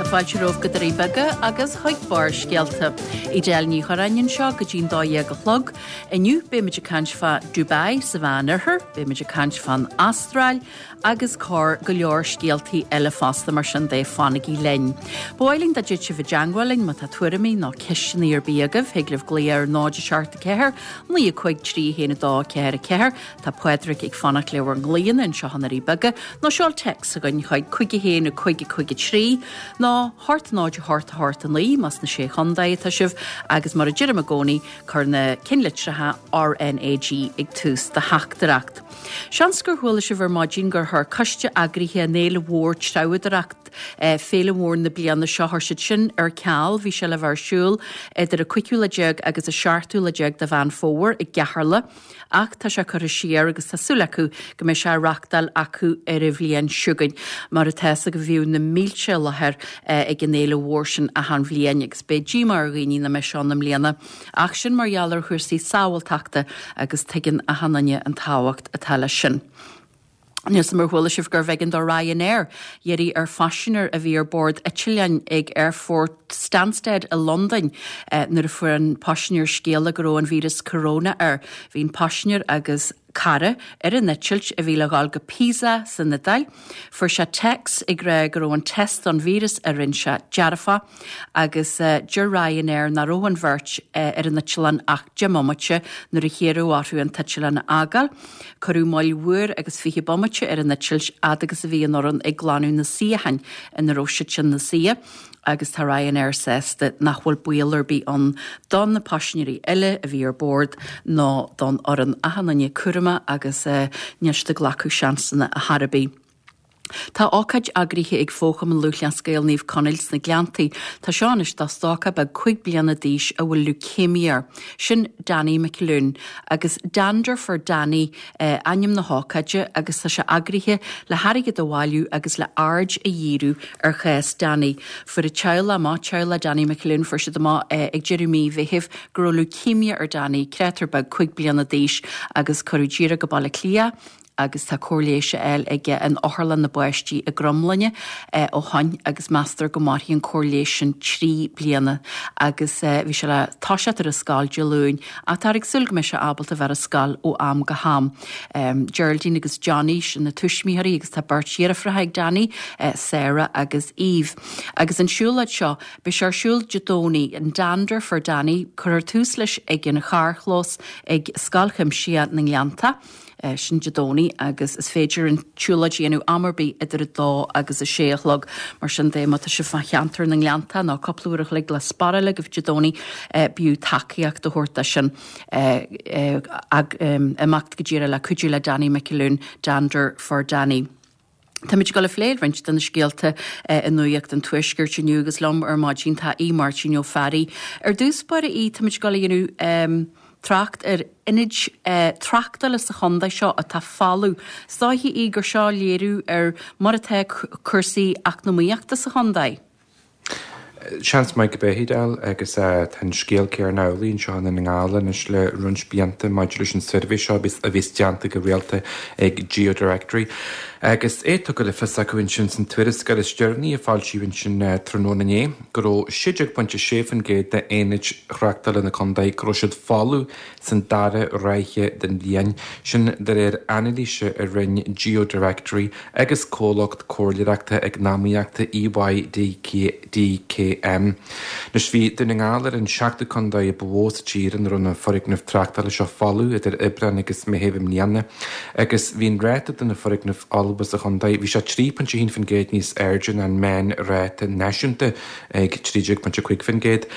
Fáilte romhaibh go Doirí Beaga agus chuig Barrscéalta. Edel Ní Churráin anseo go dtí'n 12 a chlog. Inniu beimid ag caint fá Dubai sa Mheán Oirthear, beimid ag caint fán Astráil agus corr go leor scéaltaí eile fosta mar sin de fanaigí linn. Ba mhaith linn dá dtéadh sibh i dteangmháil linn má tá tuairimí nó ceisteanna ar bith agaibh, thig libh glaoch ar 0 7 4 9 5 3 1 2 4 4 Tá Pádraig ag fanacht le bhur nglaonna anseo i nDoirí Beaga, nó seol téacs chugainn chuig 5 1 5 5 3 nó 8 0 8 8 9 más sna Sé Chontae atá sibh, agus mar a deirim i gcónaí, cuir na cinnlitreacha RnaG ag tús do theachtaireacht. Seans gur chuala sibh ar maidin gur chuir coiste eagraithe an Fhéile Mhór Treabhadóireacht, féile mhór na bliana seo, chuir siad sin ar ceal. Bhí sé le bheith ar siúl idir an cúigiú lá déag agus an seachtú lá déag de Mheán Fómhair i gCeatharlach. Ach tá sé curtha siar agus tá súil acu go mbeidh sé á reachtáil acu ar an bhliain seo chugainn. Mar atá fhios agaibh bhíodh na mílte i láthair ag an fhéile mhór sin achan bhliain agus beidh díomá ar dhaoine nach mbeidh sé ann i mbliana. Ach sin mar gheall ar chúrsaí sábháilteachta agus tuigeann achan duine an tábhacht atá leis sin. Níl 's a'm ar chuala sibh gurbh éigean do Ryanair iarraidh ar phaisinéir a bhí ar bord eitleáin ag Aerfort Stansted i Londain nuair a fuair an paisinéir scéala go raibh an víreas corona air. Bhí an paisinéir agus cara ar an eitilt a bhí le dhul go Pisa san Iodáil. Fuair sé téacs ag rá go raibh an test don víreas a rinne sé dearfach agus deir Ryanair nach raibh an bheirt ar an eitleán ach 10 mbomaite nuair a hiarradh orthu an t-eitleán a fhágáil. Cuireadh moill uair agus 20 bomaite ar an eitilt fhad agus a bhí an fhoireann ag glanadh na suíocháin ina raibh siadsan ina suí agus tá Ryanair sásta nach bhfuil baol ar bith ann do na paisinéirí eile a bhí ar bord ná don fhoireann. Achan duine cúramach agus níl siad ag glacadh seansanna ar chor ar bith. Tá ócáid eagraithe ag Fó-Chumann Lúthchleas Gael Naomh Conaill sna Gleanntaí. Tá seo anois do stócach beag 5 bliana d'aois a bhfuil leukemia air. Sin Danny McAloon. Agus Dander for Danny ainm na hócáide agus tá sé eagraithe le hairgead a bhailiú agus le aird a dhíriú ar chás Danny. Fuair a teaghlach amach, teaghlach Danny McAloon, fuair siad amach ag deireadh mí Mheithimh go raibh leukemia ar Danny, créatúr beag 5 bliana d'aois agus cuireadh díreach go Baile Átha Cliath agus tá cóir leighis á fháil aige in Otharlann na bPáistí i gCromghlinne ó shoin agus meastar go mairfidh an cóir leighis sin 3 bliana agus bhí sé le toiseacht ar an scoil Dé Luain ach táthar ag súil go mbeidh sé ábalta bheith ar an scoil ó am go ham. Geraldine agus Johnny, sin na tuismitheoirí agus tá beirt dheirfiúracha ag Danny, Sarah agus Eve. Agus an siúlóid seo, beidh sé ar siúl Dé Domhnaigh, an Dander for Danny, cuirfear tús leis ag an charrchlós ag Scoil Chuimsitheach na nGleanntach. Sin Dé Domhnaigh agus is féidir an tsiúlóid a dhéanamh am ar bith idir 2 agus 6 a chlog. Mar sin de, má tá sibh fá cheantar na nGleanntach nó cúpla uair a chloig le spáráil agaibh Dé Domhnaigh, b'fhiú tacaíocht a thabhairt dó sin. Imeacht go díreach le cuidiú le Danny McAloon, Dander for Danny. Táimid ag dul a phlé roinnt de na scéalta i nuaíocht an Tuaiscirt inniu agus liom ar maidin tá Aodh Máirtín Ó Fearraigh. Ar dtús báire, a Aoidh, táimid ag dul a dhéanamh trácht ar ionaid tráchtála sa chontae seo atá folamh. Is dóiche, a Aoidh, gur seo léiriú ar mar atá cúrsaí eacnamaíochta sa chontae. Seans maith go b'é, a Edel, agus tá an scéal céanna amhlaidh anseo i nDún na nGall anois le roinnt blianta maidir leis an suirbhé seo a bhíos déanta go rialta ag GeoDirectory. Agus é tugtha le fios acu ansin san tuarascáil is deireanaí a foilsíodh ansin tráthnóna inné go raibh 16.6% d'aonaid thráchtála na contae go raibh siad folamh san dara ráithe den bhliain, sin de réir anailíse a rinne GeoDirectory agus comhlacht comhairleoireachta eacnamaíochta EY DKM. Anois bhí Dún na nGall ar an seachtú contae ba mhó sa tír ina raibh na foirgnimh tráchtála seo folamh idir Aibreán agus Meitheamh i mbliana agus bhí an ráta de na foirgnimh fholmha sa chontae, bhí sé 3.1% níos airde ná an meánráta náisiúnta ag 13.5%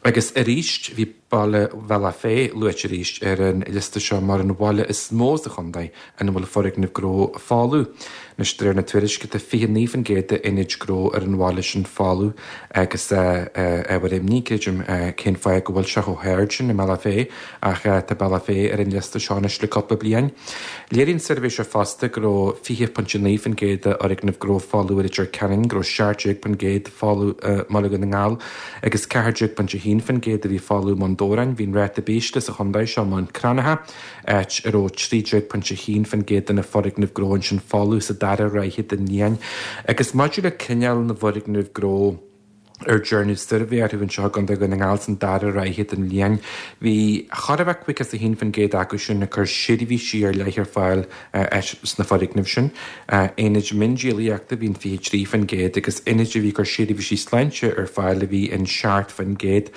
agus arís bhí Baile Bhealach Féich luaite arís ar an liosta seo mar an bhaile is mó sa chontae ina bhfuil foirgnimh gnó folamh. Anois, de réir na tuairisce, tá 29% d'aonaid gnó ar an bhaile sin folamh agus ábhar imní, creidim, cén fáth go bhfuil sé chomh hard sin i mBealach Féich ach tá Bealach Féich ar an liosta seo anois le cúpla bliain. Léirigh an suirbhé seo fosta go raibh 20.9% d'fhoirgnimh gnó folamh i Leitir Ceanainn, go raibh 17% folamh i mBaile Dhún na nGall, agus 14.1% a bhí folamh i mBun Dobhráin. Bhí an ráta b'ísle sa chontae seo i mBun Cranncha, áit a raibh 13.1% de na foirgnimh gnó ansin folamh sa dara ráithe den bhliain. Agus maidir le cineál na bhfoirgneamh gnó. Ar dearnadh suirbhé orthu anseo i gContae Dhún na nGall san dara ráithe den bhliain, bhí chóir a bheith 51% acu sin ag cur seirbhísí ar leith ar fáil sna foirgnimh sin. Aonaid miondíolaíochta a bhí in 23% agus aonaid a bhí ag cur seirbhísí sláinte ar fáil a bhí in 7%.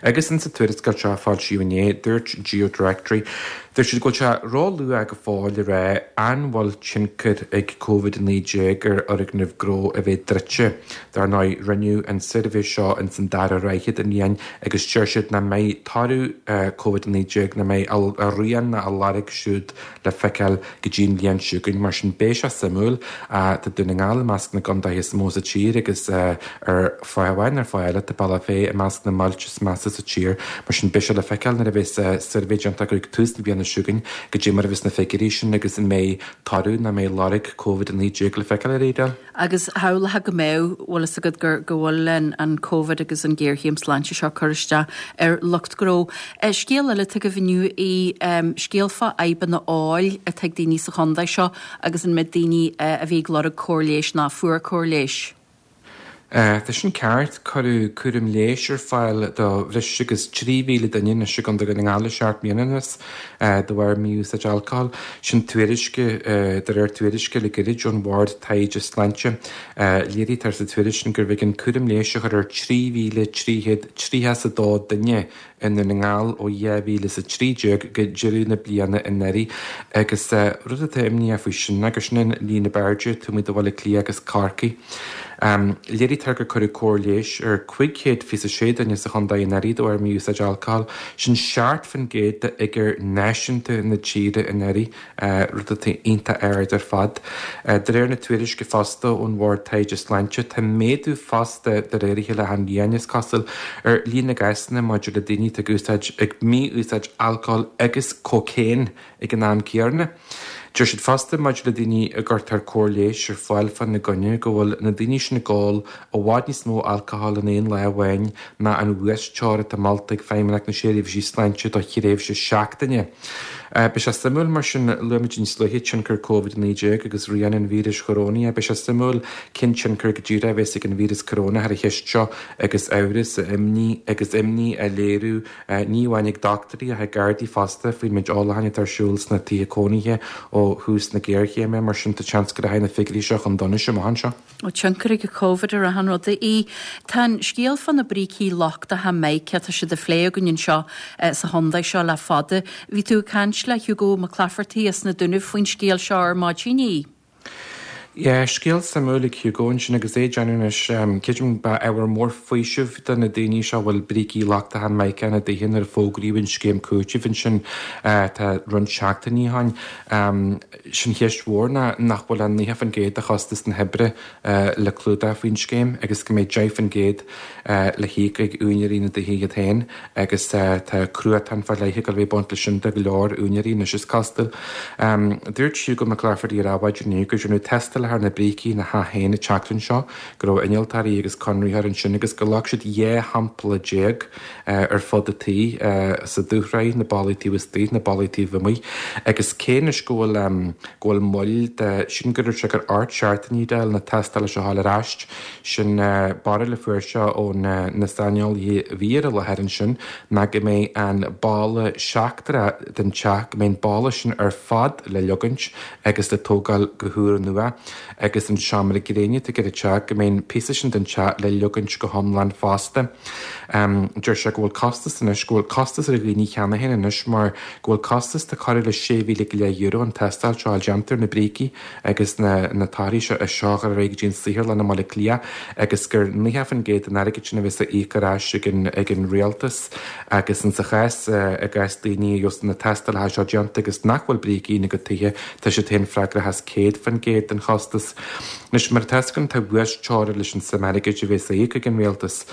Agus insa tuarascáil seo a foilsíodh inné, dúirt GeoDirectory, Dúirt siad go bhfuil sé ró-luath go fóill le rá an bhfuil tionchar ag Covid-19 ar fhoirgnimh gnó a bheith druidte. Dar ndóigh, rinneadh an suirbhé seo ins an dara ráithe den bhliain agus deir siad nach mbeidh toradh Covid-19, nach mbeidh a rian ná a lorg siúd le feiceáil go dtí an bhliain seo chugainn. Mar sin, beidh sé suimiúil. Tá Dún na nGall i measc na gcontaetha is mó sa tír agus ar fáth amháin nó ar fáth eile tá Bealach Féich i measc na mbailte is measa sa tír. Mar sin beidh sé le feiceáil nuair a bheas suirbhé déanta acu ag tús na bliana seo chugainn goidé mar a bheas na figiúirí sin agus an mbeidh toradh nó an mbeidh lorg Covid-19 le feiceáil ar Edel. Agus shamhlófá go mbeadh, bhfuil fhios agat gur, go bhfuil an, an Covid agus an ghéarchéim sláinte seo ag cur isteach ar lucht gnó. Scéal eile atá agaibh inniu í, scéal fá fhadhbanna óil atá ag daoine sa chontae seo agus an méid daoine a bhí ag lorg cóir leighis ná fuair cóir leighis. Tá sin ceart. Cuireadh cúram leighis ar fáil do bhreis agus 3,000 duine anois i gContae Dhún na nGall le seacht mbliana anuas de bharr mí-úsáid alcóil. Sin tuairisc, de réir tuairisce le gairid ón Bhord Taighde Sláinte. Léirítear sa tuairisc sin gurbh éigean cúram leighis a chur ar 3,332 duine i nDún na nGall ó 2013 go deireadh na bliana anuraidh agus rud atá imníoch faoi sin ná gur sin an líon ab airde taobh amuigh de Bhaile Átha Cliath agus Corcaigh. Léirítear gur cuireadh cóir leighis ar 526 duine sa chontae anuraidh de bharr mí-úsáid alcóil, sin 7% de fhigiúr náisiúnta na tíre anuraidh. rud atá iontach ard ar fad. De réir na tuairisce fosta ón Bhord Taighde Sláinte, tá méadú fosta, de réir a chéile achan bhliain is cosúil, ar líon na gcásanna maidir le daoine atá ag úsáid, ag mí-úsáid alcóil agus cócaon ag an am céanna. Deir siad fosta maidir le daoine a gcuirtear cóir leighis ar fáil fána gcoinne go bhfuil na daoine sin ag ól i bhfad níos mó alcóil in aon lá amháin ná an uasteora atá molta ag Feidhmeannacht na Seirbhísí Sláinte do thréimhse seachtaine. Beidh sé suimiúil mar sin, luaigh muid níos luaithe tionchar Covid-19 agus rian an víris chorónaigh. Beidh sé suimiúil cén tionchar go díreach a bheas ag an víreas corónach ar an cheist seo agus amhras, imní agus imní á léiriú ní amháin ag dochtúirí ach ag Gardaí fosta faoin méid ólacháin atá ar siúl sna tithe cónaithe ó thús na géarchéime. Mar sin tá seans go rachaidh na figiúirí seo chun donais amach anseo. Tá tionchar ag an Covid ar achan rud. Tá an scéal fá na brící lochtacha mica, tá siad á phlé againn anseo sa chontae seo le fada. Bhí tú ag caint le Hugo Mac Laifeartaigh as na Dúnaibh faoin scéal seo ar maidin, í. Yeah, scéal suimiúil ag Hugo ansin agus é ag déanamh anois, creidim ba ábhar mór faoisimh do na daoine seo a bhfuil brící lochtacha mica ina dtithe nuair a fógraíodh an scéim cúitimh ansin tá roinnt seachtainí ó shin. Sin cheist mhór ná nach bhfuil ach 90% de chostas na hoibre le clúdach faoin scéim agus go mbeidh 10% le híoc ag úinéirí na dtithe iad féin agus tá cruatan fá leith ag dul a bheith ag baint leis sin do go leor úinéirí anois is cosúil. Dúirt Hugo Mac Laifeartaigh ar Adhmhaidin inniu gur rinneadh tástáil ar na brící ina theach féin an tseachtain seo, go raibh innealtóirí agus conraitheoir ansin agus gur ghlac siad 12 shampla ar fud an tí, sa dúshraith, na ballaí taobh istigh, na ballaí taobh amuigh. Agus cé anois go bhfuil, go bhfuil moill de, sílim go raibh sé gur ocht seachtainí d'fháil na tástála seo a fháil ar ais, sin barúil a fuair sé ó na saineolaithe a bhí ar an láthair ansin, ná go mbeidh an balla seachtrach den teach, go mbeidh an balla sin ar fad le leogaint agus le tógáil go húrnua agus an seomra gréine atá ar an teach, go mbeidh an píosa sin den teach le leogaint go hiomlán fosta. Deir sé go bhfuil costas anois, go bhfuil costas ar dhaoine cheana féin anois mar go bhfuil costas de corradh le €6,000 go leith an tástáil seo a fháil déanta ar na brící agus na na torthaí seo a seo a chur ar aghaidh go dtí an saotharlann i mBaile Átha Cliath agus gur 90% den airgead sin a bheas á íoc ar ais ag an ag an rialtas agus in sa chás i gcás daoine a gheobhas na tástálacha seo déanta agus nach bhfuil brící ina gcuid tithe tá siad féin freagrach as 100% den chostas. Anois, mar atá 'fhios againn, tá uasteora leis an suim airgid a bheas á íoc ag an rialtas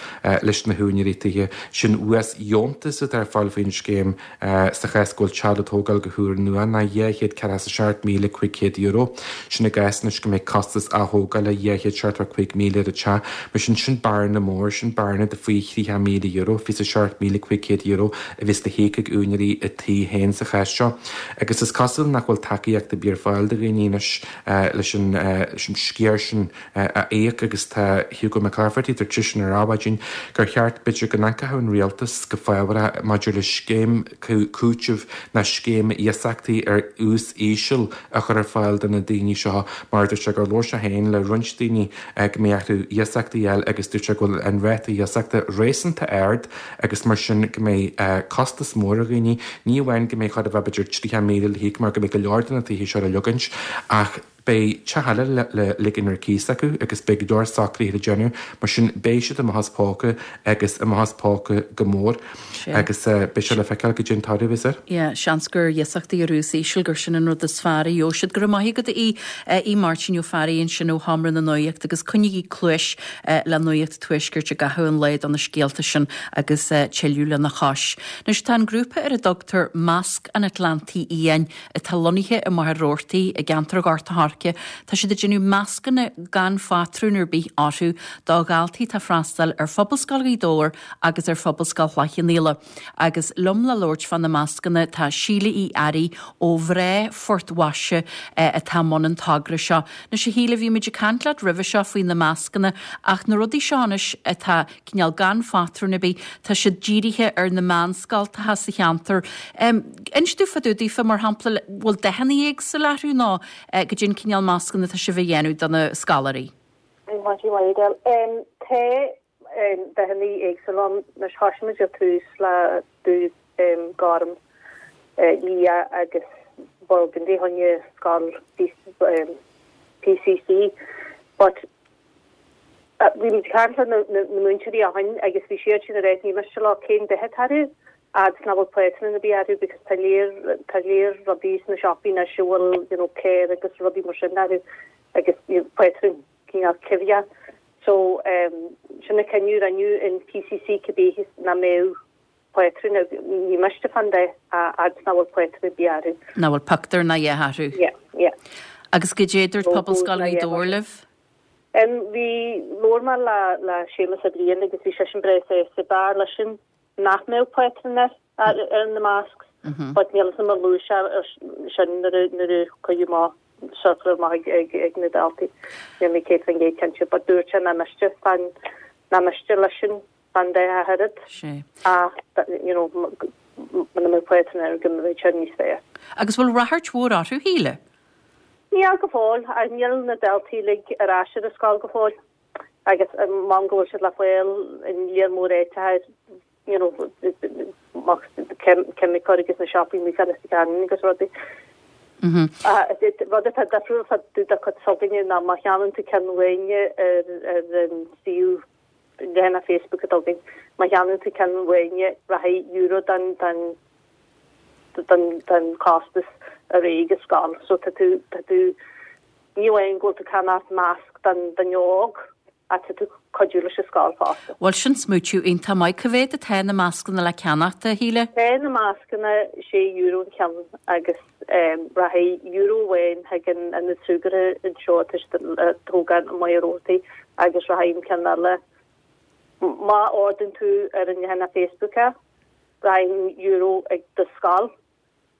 leis na húinéirí tithe. Sin uasdheontas atá ar fáil faoin scéim sa chás go bhfuil teach le tógáil go húrnua ná €247,500. Sin i gcás anois go mbeidh costas ath-thógála €275,000 ar an teach. Mar sin, sin bearna mór, sin bearna de faoi €30,000, €27,500 a bheas le híoc ag úinéirí a tí féin sa chás seo. Agus is cosúil nach bhfuil tacaíocht ar bith ar fáil do dhaoine anois. leis an. an sciar sin a íoc agus tá Hugo McClafferty, dúirt seisean ar Adhmhaidin gur cheart b'fhéidir go n-amharcfadh an rialtas go fabhrach maidir le scéim cúitimh ná scéim iasachtaí ar ús íseal a chur ar fáil do na daoine seo mar dúirt sé gur labhair sé féin le roinnt daoine go mbeidh orthu iasachtaí a fháil agus dúirt sé go bhfuil an ráta iasachta réasúnta ard agus mar sin go mbeidh costas mór ar dhaoine, ní amháin go mbeidh chóir a bheith b'fhéidir 30,000 le híoc mar go mbeidh go leor de na tithe seo le leogaint ach beidh teach eile le ligean ar cíos acu agus beidh go leor socruithe le déanamh, mar sin beidh siad amach as póca agus amach as póca go mór agus beidh sé le feiceáil goidé an toradh a bheas air. Yeah, seans gur iasachtaí ar ús íseal gur sin an rud is fearr a gheobhaidh siad. Go raibh maith agat a Aodh, Aodh Máirtín Ó Fearraigh ansin ó Sheomra na Nuachta agus coinnígí cluais le Nuacht Tuaiscirt i gcaitheamh an lae do na scéalta sin agus tuilleadh lena chois. Anois tá an grúpa ar a dtugtar Masc an Atlantaigh Fhiáin atá lonnaithe i Machaire Rabhartaigh i gceantar Ghort a' Choirce, tá siad ag déanamh mascanna gan phátrún ar bith orthu do dhaltaí atá ag freastal ar Phobalscoil Ghaoth Dobhair agus ar Phobalscoil Chloich Cheann Fhaola. Agus liom le labhairt fá na mascanna tá Síle Uí Fhearraigh ó Mhná Phort Mhaise atá i mbun an togra seo. Anois a Shíle, bhí muid ag caint leat roimhe seo faoi na mascanna ach na rudaí seo anois atá cineál gan phátrún ar bith, tá siad dírithe ar na meánscoltacha sa cheantar. Inis domh fá dtaobh daofa, mar shampla, bhfuil dathanna éagsúla orthu nó goidé an cineál mascanna atá sibh a dhéanamh do na scoláirí? Maidin mhaith Edel. Tá dathanna éagsúla ann. Anois thoisigh muid ar tús le dubh, gorm, liath agus burgundy fá choinne scoil PCC but bhí muid ag caint le na múinteoirí ó shin agus bhí siad sin ag ráit ní miste leo cén dath atá orthu fhad is nach bhfuil pátrún ar bith orthu because tá léir tá léir rudaí sna siopaí anois a bhfuil you know caor agus rudaí mar sin orthu agus you know pátrún cineál coimhthíoch. So sin an cinneadh a rinneadh in PCC cibé nach mbeadh pátrún, ní miste fán dath a fhad is nach bhfuil pátrún ar bith orthu. Nach bhfuil pictiúr ná a dhath orthu. Yeah, yeah. Agus goidé a dúirt Pobalscoil Ghaoth Dobhair libh? Bhí, labhair mé le le Séamus Ó Briain agus bhí seisean breá sásta, b'fhearr leisean nach mbeadh pátrún air ar na masks but níl 'fhios a'm ar luaigh sé sin nuair a nuair a cuireadh amach circular amach ag ag na daltaí. Níl mé 100% cinnte but dúirt sé nach miste fán nach miste leisean fán dath ach oiread ach you know muna mbeadh pátrún air go mbeadh sé níos fearr. Agus bhfuil ráchairt mhór orthu, Shíle? Níl go fóill ach níl na daltaí uilig ar ais ar an scoil go fóill. Agus m'am go bhfuil siad le fáil in léar mór áiteacha you know ceimiceoir agus na siopaí amuigh fá Leitir agus rudaí. Rud atá difriúil fá dtaobh de chuid s'againne ná má cheannaíonn tú ceann uainne ar ar an suíomh leathanach Facebook atá againn, má cheannaíonn tú ceann uainne rachaidh euro den den den den costas ar aghaidh ag an scoil. So tá tú tá tú Ní amháin go bhfuil tú ag ceannacht masc don duine óg ach tá tú ag cuidiú leis an scoil fosta. Bhuel, sin smaoitiú iontach maith. Cá mhéad atá na mascanna le ceannacht, a Shíle? Tá na mascanna €6 an ceann agus rachaidh euro amháin chuig an ionad súgartha anseo atá siad ag tógáil i Machaire Rabhartaigh agus rachaidh an ceann eile, má ordaíonn tú ar an leathanach Facebook é, rachaidh an euro ag do scoil.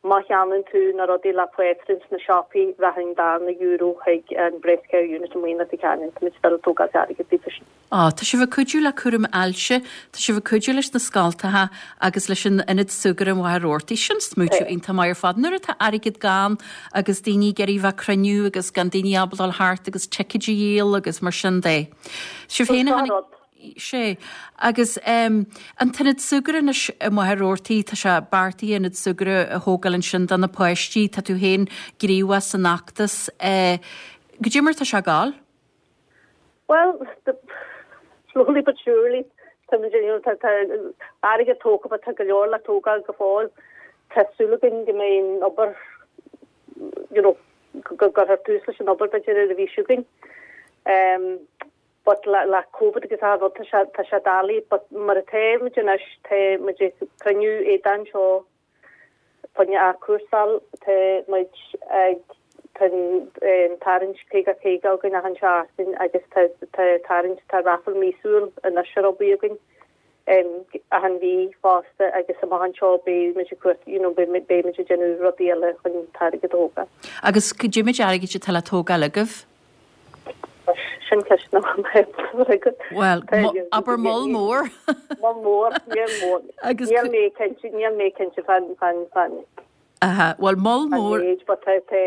Má cheannaíonn tú na rudaí le pátrún sna siopaí, rachaidh an darna euro chuig an Breast Care Unit i Leitir Ceanainn. Tá muid still ag tógáil airgid daofa sin. Á, tá sibh ag cuidiú le cúram ailse, tá sibh ag cuidiú leis na scoltacha agus leis an ionad súgartha i Machaire Rabhartaigh. Sin smaoitiú iontach maith ar fad. Nuair atá airgead gann agus daoine ag iarraidh bheith ag cruinniú agus gan daoine ábalta dul thart agus ticéid a dhíol agus mar sin de. Sibh féin a tháinig. Sea. Agus an t-ionad súgartha anois i Machaire Rabhartaigh, tá sé beartaithe ionad súgartha a thógáil ansin do na páistí. Tá tú féin gníomhach san fheachtas. Goidé mar atá sé ag gabháil? Bhuel, slowly but surely, tá muid, you know, tá airgead tógtha but tá go leor le tógáil go fóill. Tá súil againn go mbeidh an obair, you know, go gcuirfear tús leis an obair b'fhéidir ar an mhí seo chugainn. But le le Covid agus achan rud tá sé tá sé doiligh but mar atá muid anois tá muid ag cruinniú éadain anseo fá choinne athchúrsáil tá muid ag tá an tarraingt 50 50 againn achan seachtain agus tá tá tarraingt tá raffle míosúil anois ar obair againn achan mhí fosta agus amach anseo beidh muid ag cuairt you know beidh beidh muid ag déanamh rudaí eile chun an t-airgead a thógáil. Agus goidé méid airgid atá le tógáil agaibh? Sin ceist nach mbeidh agat. Bhuel, abair moll mór. Moll mór, níl mór. Agus níl mé cinnte, níl mé cinnte fan, fan, fan. Aha, bhuel moll mór. An méid, but tá, tá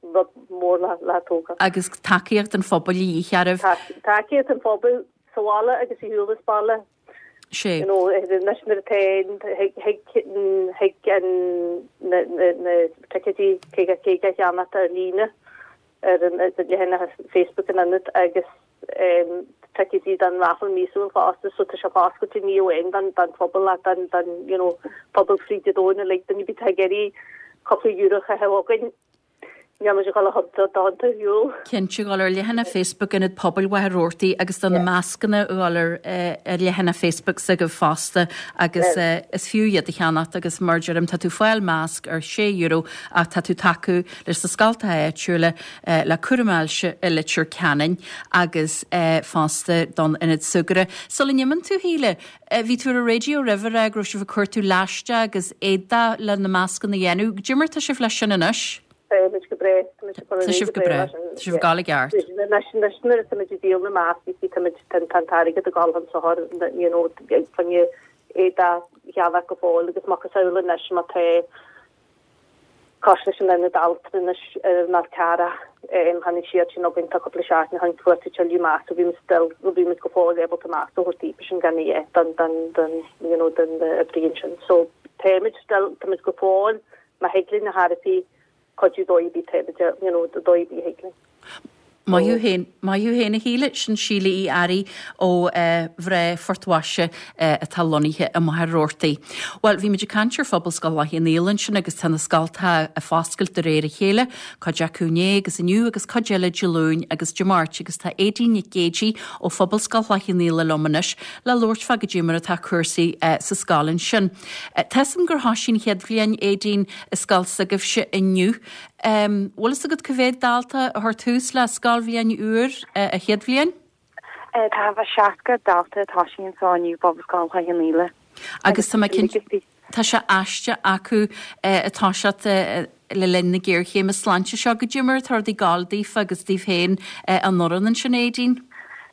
rud mór le, le tógáil. Agus tacaíocht an phobail a dhíth oraibh. Tacaíocht an phobail sa bhaile agus ar shiúl as baile. Sé. You know, anois nuair atá thig, thig an, na, na, na ticéidí 50, 50 a cheannacht ar líne. ar an leathanach Facebook an Ionaid agus ticéidí don raffle míosúil fosta so tá sé foscailte ní amháin don don phobal ach don don you know pobal fríd an domhan uilig duine ar bith atá ag iarraidh cúpla euro a chaitheamh chugainn níl muid ag dul a thionta ar shiúl. Cinnte, dhul ar leathanach Facebook Ionad Pobail Mhachaire Rabhartaigh agus do na mascanna a dhul ar ar leathanach Facebook s'agaibh fosta agus is fiú iad a cheannacht agus mar a deirim tá tú ag fáil masc ar sé euro ach tá tú ag tacú leis na scoltacha áitiúla, le cúram ailse i Leitir Ceanainn agus fosta don Ionad Súgartha. Sula n-imíonn tú, Shíle, bhí tú ar an raidió roimhe ag rá go raibh sibh ag cuartú laisteach agus éadach le na mascanna a dhéanamh. Goidé mar tá sibh leis sin anois? Táimid go breá. Táimid ag cur Tá sibh go breá. Tá sibh ag gabháil i gceart. Anois, anois nuair atáimid ag díol na mascaí, táimid, tá an t-airgead ag gabháil chun sochair, you know, fá choinne éadach a cheannach go fóill agus macasamhail anois má tá Cosúil leis an Ionad Altranais ar an Fhál Carrach, tháinig siad sin chugainn tá cúpla seachtain ó shin cuartú tuilleadh masc so bhí muid still, bhí muid go fóill ábalta masc a thabhairt daofa sin gan a dhath don, don, don, you know, don oibrí ansin. So táimid still, táimid go fóill, má thig linn a thairfí cuidiú dóigh ar bith táimid, you know, dóigh ar bith a thig linn. Maith thú féin, maith thú féin a Shíle, sin Síle Uí Fhearraigh ó mhná Phort Mhaise atá lonnaithe i Machaire Rabhartaigh. Bhuel, bhí muid ag caint ar Phobalscoil Chloich Cheann Fhaola ansin agus tá na scoltacha ag foscailt de réir a chéile, cuid acu inné agus inniu agus cuid eile Dé Luain agus Dé Máirt agus tá Aedín Nic Géidigh ó Phobalscoil Chloich Cheann Fhaola liom anois le labhairt fá goidé mar atá cúrsaí sa scoil ansin. Tá 'fhios a'm gur thoisigh an chéad bhliain, Aedín, i scoil s'agaibhse inniu. Bhfuil fhios agat cá mhéad dalta a chuir tús le scoilbhliain úr a chéad bhliain? Tá 60 dalta ag tosaí anseo inniu i bPobalscoil Chloich Cheann Fhaola. Agus tá mé cinnte, tá sé aisteach acu ag toiseacht le linn na géarchéime sláinte seo. Goidé mar atá rudaí ag gabháil daofa agus daoibh féin an fhoireann ansin, Aedín?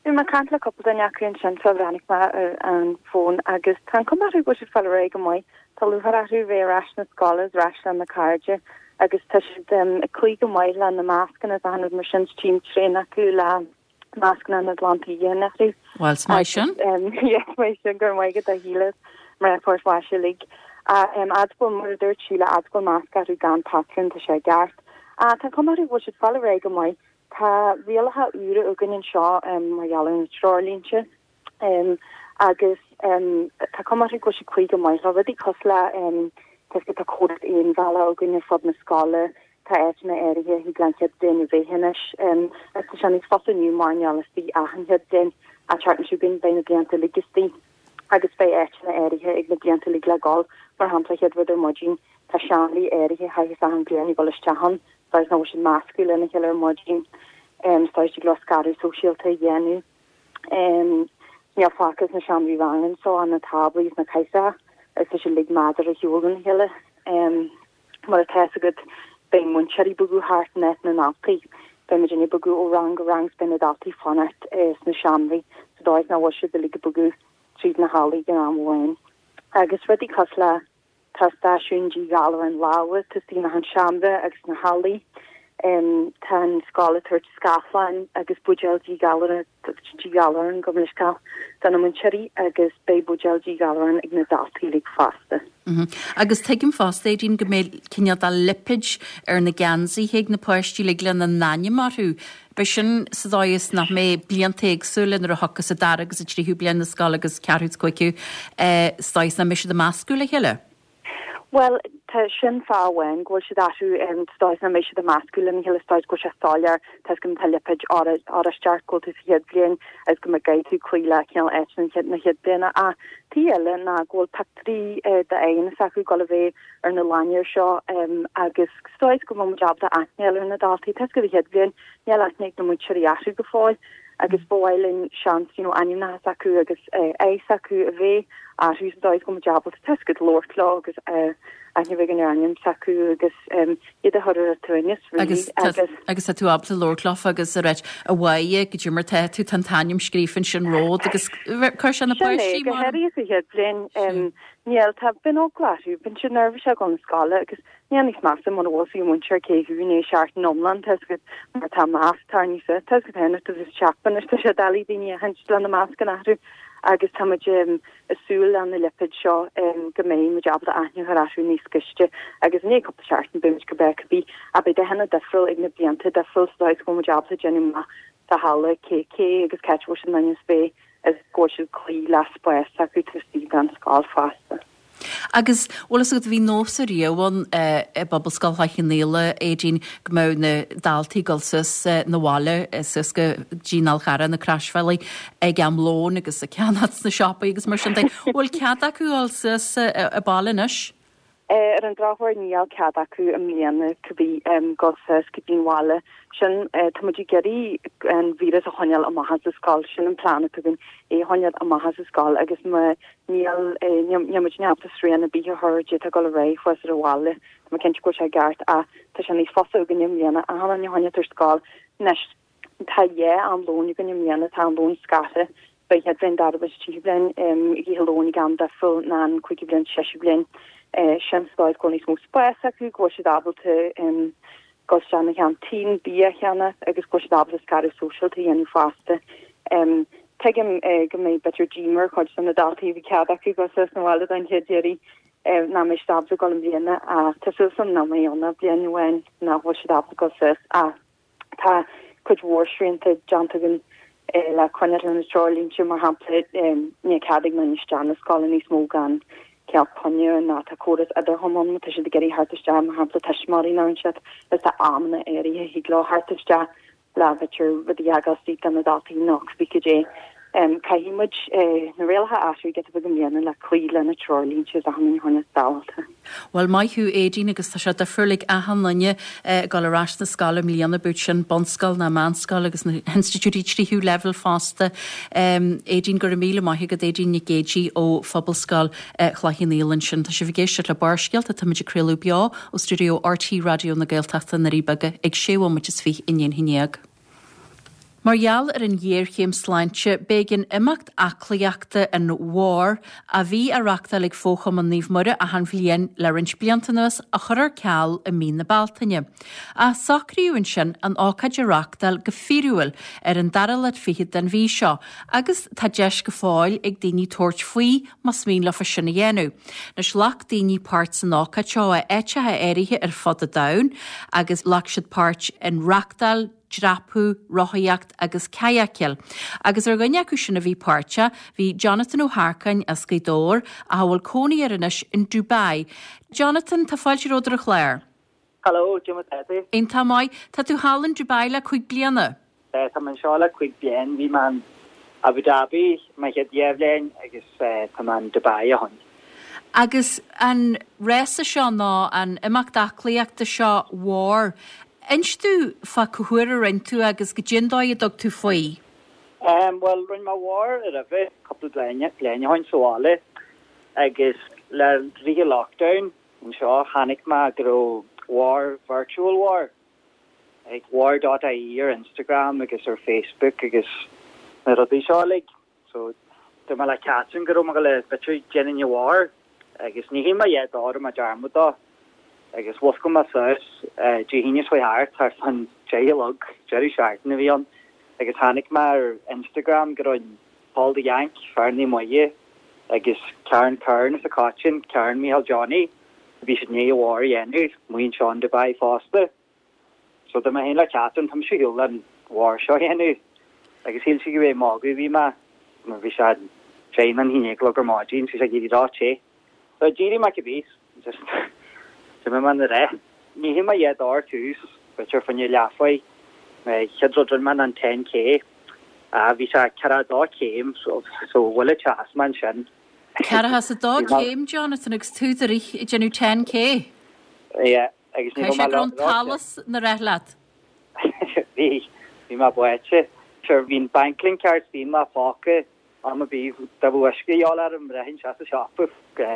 Bhí mé ag caint le cúpla duine acu ansin sula bhreathnaigh mé ar an bhfón agus tá an cuma orthu go bhfuil siad ag fáil ar aghaidh go maith. Tá lúcháir orthu bheith ar ais na scoile is ar ais lena cairde agus tá siad ag cloí go maith le na mascanna is achan rud mar sin, tchím tréan acu le mascanna na glantaí a dhéanamh orthu. Bhuel, is maith sin. Yes, maith sin, go raibh maith agat a Shíle, mná Phort Mhaise uilig. Fhad is go bhfuil, mar a dúirt Síle, fhad is go bhfuil masc orthu gan patrún, tá sé i gceart. Tá an chuma orthu go bhfuil siad ag fáil ar aghaidh go maith. Tá rialacha úra againn anseo mar gheall ar na treoirlínte. Agus tá cuma orthu go bhfuil siad ag cloí go maith leo. Rudaí cosúil le, tá 'fhios agat tá córas aon bhealaigh againn ar fud na scoile, tá áiteanna áirithe a thig le an chéad bhliain a bheith anois, agus tá sé níos fusa inniu mar níl istigh ach an chéad bhliain, an tseachtain seo chugainn beidh na blianta uilig istigh agus beidh áiteanna áirithe ag na blianta uilig le gabháil, mar shampla chéad rud ar maidin tá seomraí áirithe a chaithfeas achan bhliain a dhul isteach ann, sa dóigh is nach bhfuil siad ag meascadh lena chéile ar maidin, sa dóigh is dtig leo scaradh sóisialta a dhéanamh. Níl fágtha sna seomraí ranga anseo ach na táblaí is na cathaoireacha agus tá siad uilig measartha ar shiúl óna chéile. Mar atá 'fhios agat beidh múinteoirí ag bogadh thart in áit na ndaltaí. Beidh muidinne ag bogadh ó rang go rang is beidh na daltaí ag fanacht sna seomraí sa dóigh is nach bhfuil siad uilig ag bogadh tríd na hallaí ag an am amháin. Agus rudaí cosúil le Tá stáisiún díghalráin láimhe taobh istigh in achan seomra agus sna hallaí. Tá an scoil ag tabhairt scáthláin agus buidéil díghalráin, gabh mo leithscéal, do na múinteoirí agus beidh buidéil díghalráin ag na daltaí uilig fosta. Agus tuigim fosta, Aedín, go mbeidh cineál de lipéid ar na geansaithe ag na páistí uilig lena n-ainm orthu. Beidh sin sa dóigh is nach mbeidh blianta éagsúla nuair a thiocfas an dara agus an tríú bliain na scoile agus ceathrú is cúigiú sa dóigh is nach mbeidh siad ag meascadh le chéile. Bhuel, tá sin fáth amháin go bhfuil siad athrú sa dóigh is nach mbeidh siad ag meascadh lena chéile sa dóigh is go bhfuil sé soiléir tá 'fhios agat má tá lipéid oráiste ort go bhfuil tú sa chéad bhliain agus go mbeidh tú cloí le cineál áit na chéad bliana. Ach taobh eile ná go bhfuil pictiúirí d'aghaidheanna s'acu ag dul a bheith ar na láinnéir seo agus sa dóigh is go bhfuil muid ábalta aithne a fháil ar na daltaí. Tá 'fhios agat an chéad bhliain, níl aithne ag na múinteoirí orthu go fóill agus ba mhaith linn seans you know ainmneacha s'acu agus aghaidh s'acu a bheith orthu sa dóigh is go bhfuil muid ábalta tá 'fhios agat labhairt leo agus. Aithne a bheith againn ar ainm s'acu agus iad a chur ar a tsuaimhneas, really. Agus agus tá tú ábalta labhairt leofa agus a ráit, a Mháire, goidé mar tá tú, tá an t-ainm scríofa ansin romhat agus cuir sé na Sin é, páistí go mar. háirithe sa chéad bhliain. Níl, tá, bíonn eagla orthu, bíonn siad neirbhíseach ag dul na scoile agus níl níos measa muna bhfuil fhios ag an múinteoir cé thú i ndiaidh seachtain iomlán, tá fhios agat, mar tá masc tarraingthe suas, tá fhios agat féin, tá tú sa anois, tá sé doiligh daoine a aithint le na mascanna orthu agus tá muid ag súil le na lipéid seo go mbeidh muid ábalta aithne a chur orthu níos gaiste agus i ndiaidh cúpla seachtain beidh muid go breá cibé ach beidh dathanna difriúil ag na blianta difriúil sa dóigh is go bhfuil muid ábalta déanamh amach sa halla cé cé agus cá háit a bhfuil siad in ainm is a bheith is go bhfuil siad ag cloí le spás s'acu taobh istigh den scoil fosta. Agus, bhfuil fhios agat, bhí nós ariamh ann i bPobalscoil Chloich Cheann Fhaola, Aedín, go mbeadh na daltaí ag dul suas 'na bhaile, suas go dtí an Fhál Charrach, na Croisbhealaí, ag am lóin agus ag ceannacht sna siopaí agus mar sin de. Bhfuil cead acu dul suas abhaile anois? Ar an drochuair níl cead acu i mbliana cibé dul suas go dtí an bhaile. Sin, tá muid ag iarraidh an víreas a choinneáil amach as an scoil, sin an plean atá againn, é a choinneáil amach as an scoil agus má níl, níl muid ábalta srian ar bith a chur d'fhéadfá dul ar aghaidh thuas ar an bhaile. Tá mé cinnte go bhfuil sé i gceart ach tá sé níos fusa againne i mbliana achan duine a choinneáil ar scoil. Anois. Tá dhá am lóin againn i mbliana, tá am lóin scartha don chéad bhliain, dara agus tríú bliain, ag ithe lóin ag am difriúil ná an cúigiú bliain, séú bliain. Sin sa dóigh is go bhfuil níos mó spáis acu, go bhfuil siad ábalta dul isteach na ceaintín, bia a cheannach agus go bhfuil siad ábalta scaradh sóisialta a dhéanamh fosta. Tuigim go mbeidh b'fhéidir díomá ar chuid de na daltaí a bhí cead acu dul suas 'na bhaile don chéad iarraidh nach mbeidh siad ábalta dul i mbliana ach tá súil agam nach mbeidh ann ach bliain amháin nach bhfuil siad ábalta dul suas ach Tá cuid mhór srianta déanta againn le coinneáil leis na treoirlínte, mar shampla, níl cead ag aon duine isteach na scoile níos mó gan cineál coinne ná tá córas intercom ann má tá siad ag iarraidh theacht isteach, mar shampla tuismitheoirí nó aon siad, is tá amanna áirithe a thig leo theacht isteach le b'fhéidir rudaí a fhágáil istigh do na daltaí nó cibé cad é. Caithfidh muid na rialacha a athrú giota beag i mbliana le cloí le na treoirlínte is achan duine a choinneáil sábháilte. Bhuel, maith thú Aedín agus tá sé difriúil ag achan duine ag dul ar ais na scoile i mbliana, bíodh sin bunscoil ná meánscoil agus na hinstitiúidí tríú leibhéal fosta. Aedín, go raibh míle maith agat, Aedín Nic Géidigh ó Phobalscoil Chloich Cheann Fhaola ansin. Tá sibh ag éisteacht le Barrscéalta, táimid ag craoladh beo ó stiúideo RTÉ Raidió na Gaeltachta i nDoirí Beaga ag sé bhomaite is 20 i ndiaidh a haon déag. Mar gheall ar an ghéarchéim sláinte, b'éigean imeacht aclaíochta an Bharr, a bhí á reachtáil ag Fo-Chumann Naomh Muire achan bhliain le roinnt blianta anuas, a chur ar ceal i mí na Bealtaine. Ach socraíodh ansin an ócáid a reachtáil go fíorúil ar an dara lá fichead den mhí seo agus tá deis go fóill ag daoine tabhairt faoi más mian leofa sin a dhéanamh. Anois, ghlac daoine páirt san ócáid seo ó áiteacha áirithe ar fud an domhain agus ghlac siad páirt in reachtáil, dreapadh, rothaíocht agus cadhacáil. Agus ar dhuine acu sin a bhí páirteach, bhí Jonathan Ó hEarcáin as Gaoth Dobhair ach a bhfuil cónaí air anois in Dubai. Jonathan, tá fáilte romhat ar an chlár. Hello, cad é mar tá tú? Iontach maith. Tá tú thall in Dubai le cúig bliana? Tá mé anseo le cúig bliain. Bhí mé in Abu Dhabi mo chéad dhá bhliain agus tá mé in Dubai ó shin. Agus an rása seo nó an imeacht aclaíochta seo Bharr, inis domh fá cá huair a rinne tú agus goidé an dóigh a dtug tú faoi. Bhuel, rinne mé Bharr roimhe cúpla bliain ó shin sa bhaile agus le rith an lockdown anseo chonaic mé go raibh Bharr Virtual Bharr ag Bharr dot ie ar Instagram agus ar Facebook agus na rudaí seo uilig. So dúirt mé le Catherine go raibh mé ag gabháil b'fhéidir déanfainn an Bharr agus ní shíl mé a dhath dó, rinne mé dearmad dó agus mhuscail mé suas Dé hAoine seo thart, thart fán deich a chlog, deireadh seachtaine a bhí ann agus chonaic mé ar Instagram go raibh Paul the Yank, fear Naomh Muire agus Karen Kern as an Choitín, Karen Micheál Johnny, bhí siad i ndiaidh an Bharr a dhéanamh amuigh anseo in Dubai fosta. So dúirt mé féin le Catherine, tá mise ar shiúl an Bharr seo a dhéanamh agus shíl sí gur ag magadh a bhí mé mar bhí sé deich nó a haon a chlog ar maidin, bhí sé ag éirí ró-te. So d'éirigh mé cibé, just d'imigh mé na rith. Ní shíl mé a dhath dó ar tús, b'fhéidir fá choinne leathmhaith. Chéad rud rinne mé ná an 10K. Bhí sé 42 céim so bhuail an teas mé ansin. 42 céim, Jonathan, agus tú ag rith ag déanamh 10K? Yeah, agus ní raibh mé go raibh an t-allas 'na rith leat. Bhí, bhí mé báite. Sure, bhí an Banklink card i mo phóca am ar bith dá mbeadh uisce a dhíobháil orm, rithfinn isteach sa siopa,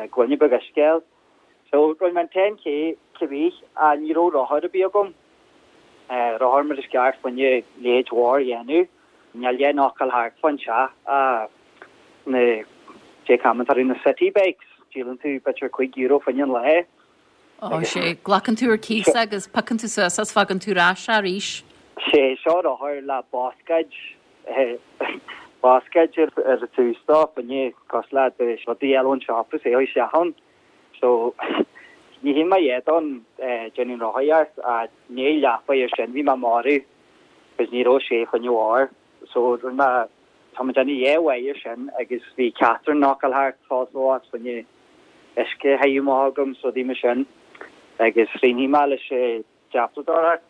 gloine beag uisce a fháil. So rinne mé an 10K cibé ach ní raibh rothar ar bith agam, rothar mar is ceart fá choinne leithéid mhór a dhéanamh. Níl aon fhocal thart fán teach ach na cé common tá na city bikes, díolann tú b'fhéidir €5 fá choinne an lae. Ó sé, glacann tú ar cíos agus piocann tú suas as fágann tú ar ais arís. Sé, seo rothar le bascaed, bascaed ar an tús dó, fá choinne cosúil le do rud a fháil ón siopa is é a isteach ann. So, ní shíl mé iad ann déanamh an rothaíocht ach i ndiaidh leathuair ar sin bhí mé marbh because ní raibh sé fá choinne bharr. So, rinne mé, tá mé déanamh dhá mhaith ar sin agus bhí Catherine ag gabháil thart fós fós fá choinne uisce a théamh amach agam so rudaí mar sin agus rinn mé leis an dreapadóireacht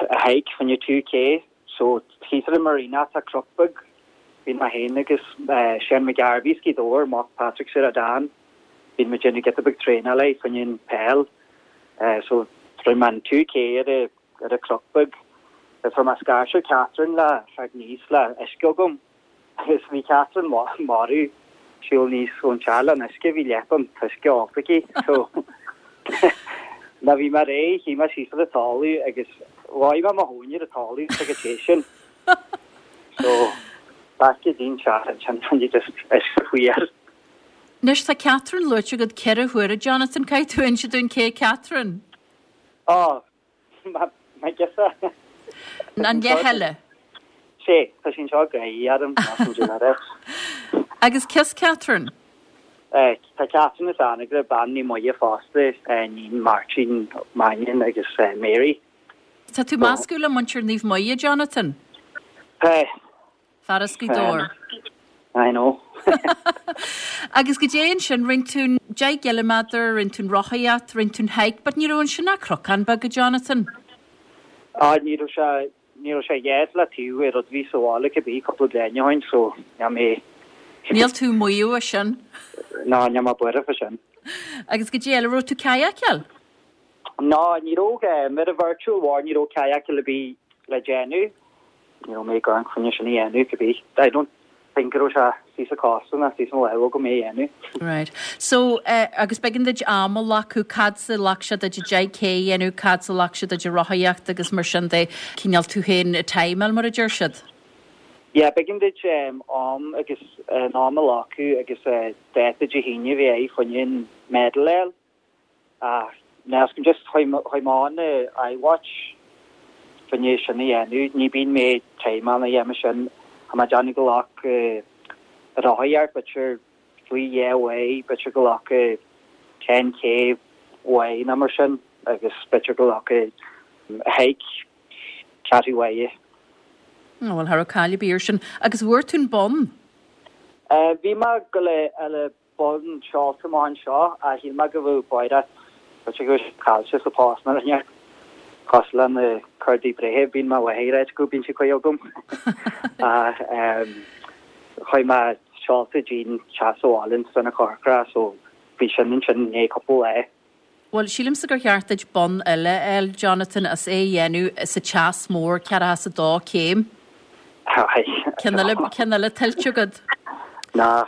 a hike fá choinne 2K so thíos ar an Marina tá cnoc beag bhí mé féin agus Seán McGarvey as Gaoth Dobhair, mac Patrick Sarah Dan, bhí muid déanamh giota beag traenála fá choinne an peil so rinne mé an 2K ar a ar an cnoc beag agus fuair mé scairte ó Catherine le theacht aníos le uisce agam. Agus bhí Catherine marbh siúl aníos ón teach le an uisce, bhí leath an t-uisce ólta aici. So nuair bhí mé réidh, shuigh mé síos ar an talamh agus bháigh mé mo thóin ar an talamh sa go téis sin. So back go dtí'n teach ansin, just uisce fuar. Anois tá Catherine luaite agat cheithre huaire, Jonathan, caithfidh tú inse dúinn cé Catherine? Ó, My girsa. An leath eile. Sé, tá sí anseo ag gáirí orm, más an duine é. Agus cé as Catherine? Tá Catherine as Anagaire, bean Naomh Muire fosta, iníon Máirtín Mannion agus Mary. Tá tú measctha le muintir Naomh Muire, Jonathan? Tá. Fear as Gaoth Dobhair. I know. Agus goidé ansin, rinne tú an 10 gciliméadar, rinne tú an rothaíocht, rinne tú an hike, but ní raibh ansin ach cnocán beag, a Jonathan. Ah, ní raibh sé, ní raibh sé dheas le taobh ar rud a bhí sa bhaile cibé cúpla bliain ó shin, so níl mé. Níl tú ag maíomh as sin. No, níl mé buartha fá sin. Agus goidé eile, raibh tú kayakáil? No, ní raibh, ar an virtual war ní raibh kayakáil ar bith le déanamh. Ní raibh mé ag amharc fá choinne sin a dhéanamh, cibé. I don't think go raibh sé thíos sa chósta ná thíos an lámh agam é a dhéanamh. Right. So, eh, agus b'éigean duit am a ghlacadh, cad 's a ghlac sé duit 10K a dhéanamh, cad 's a ghlac sé duit an rothaíocht agus mar sin de, cineál tú féin a timeáil mar a deir siad? Yeah, b'éigean duit am agus an am a ghlacadh agus dáta Dé hAoine a bheith air fá choinne an medal a fháil. Ach meascaim just chuaigh mé on iWatch fá choinne sin a dhéanamh. Ní bíonn mé ag timeáil a dhéanamh sin. Tá mé ag déanamh go ghlac rothaíocht b'fhéidir faoi dhá uair, b'fhéidir go ghlac 10K uair nó mar sin agus b'fhéidir go ghlac hike ceathrú uaire. Bhuel, cha raibh caill ar bith air sin. Agus bhfuair tú an bonn? Bhí mé ag goil a fháil bonn seolta amach anseo ach shíl mé go bhfuil báire b'fhéidir go bhfuil sé caillte sa phost nó rud inteacht cosúil le na cártaí breithe bíonn mo mháthair ag ráit go bíonn sí cuid agam ach chuaigh mé seolta dtí'n teach sa bhaile in Sna Corcra so bhí sin ansin i ndiaidh cúpla lá. Bhuel, sílimse gur cheart duit bonn eile a fháil, Jonathan, as é a dhéanamh sa teas mór, ceathracha is a dó céim. Ceann eile, ceann eile tuillte agat. Ná,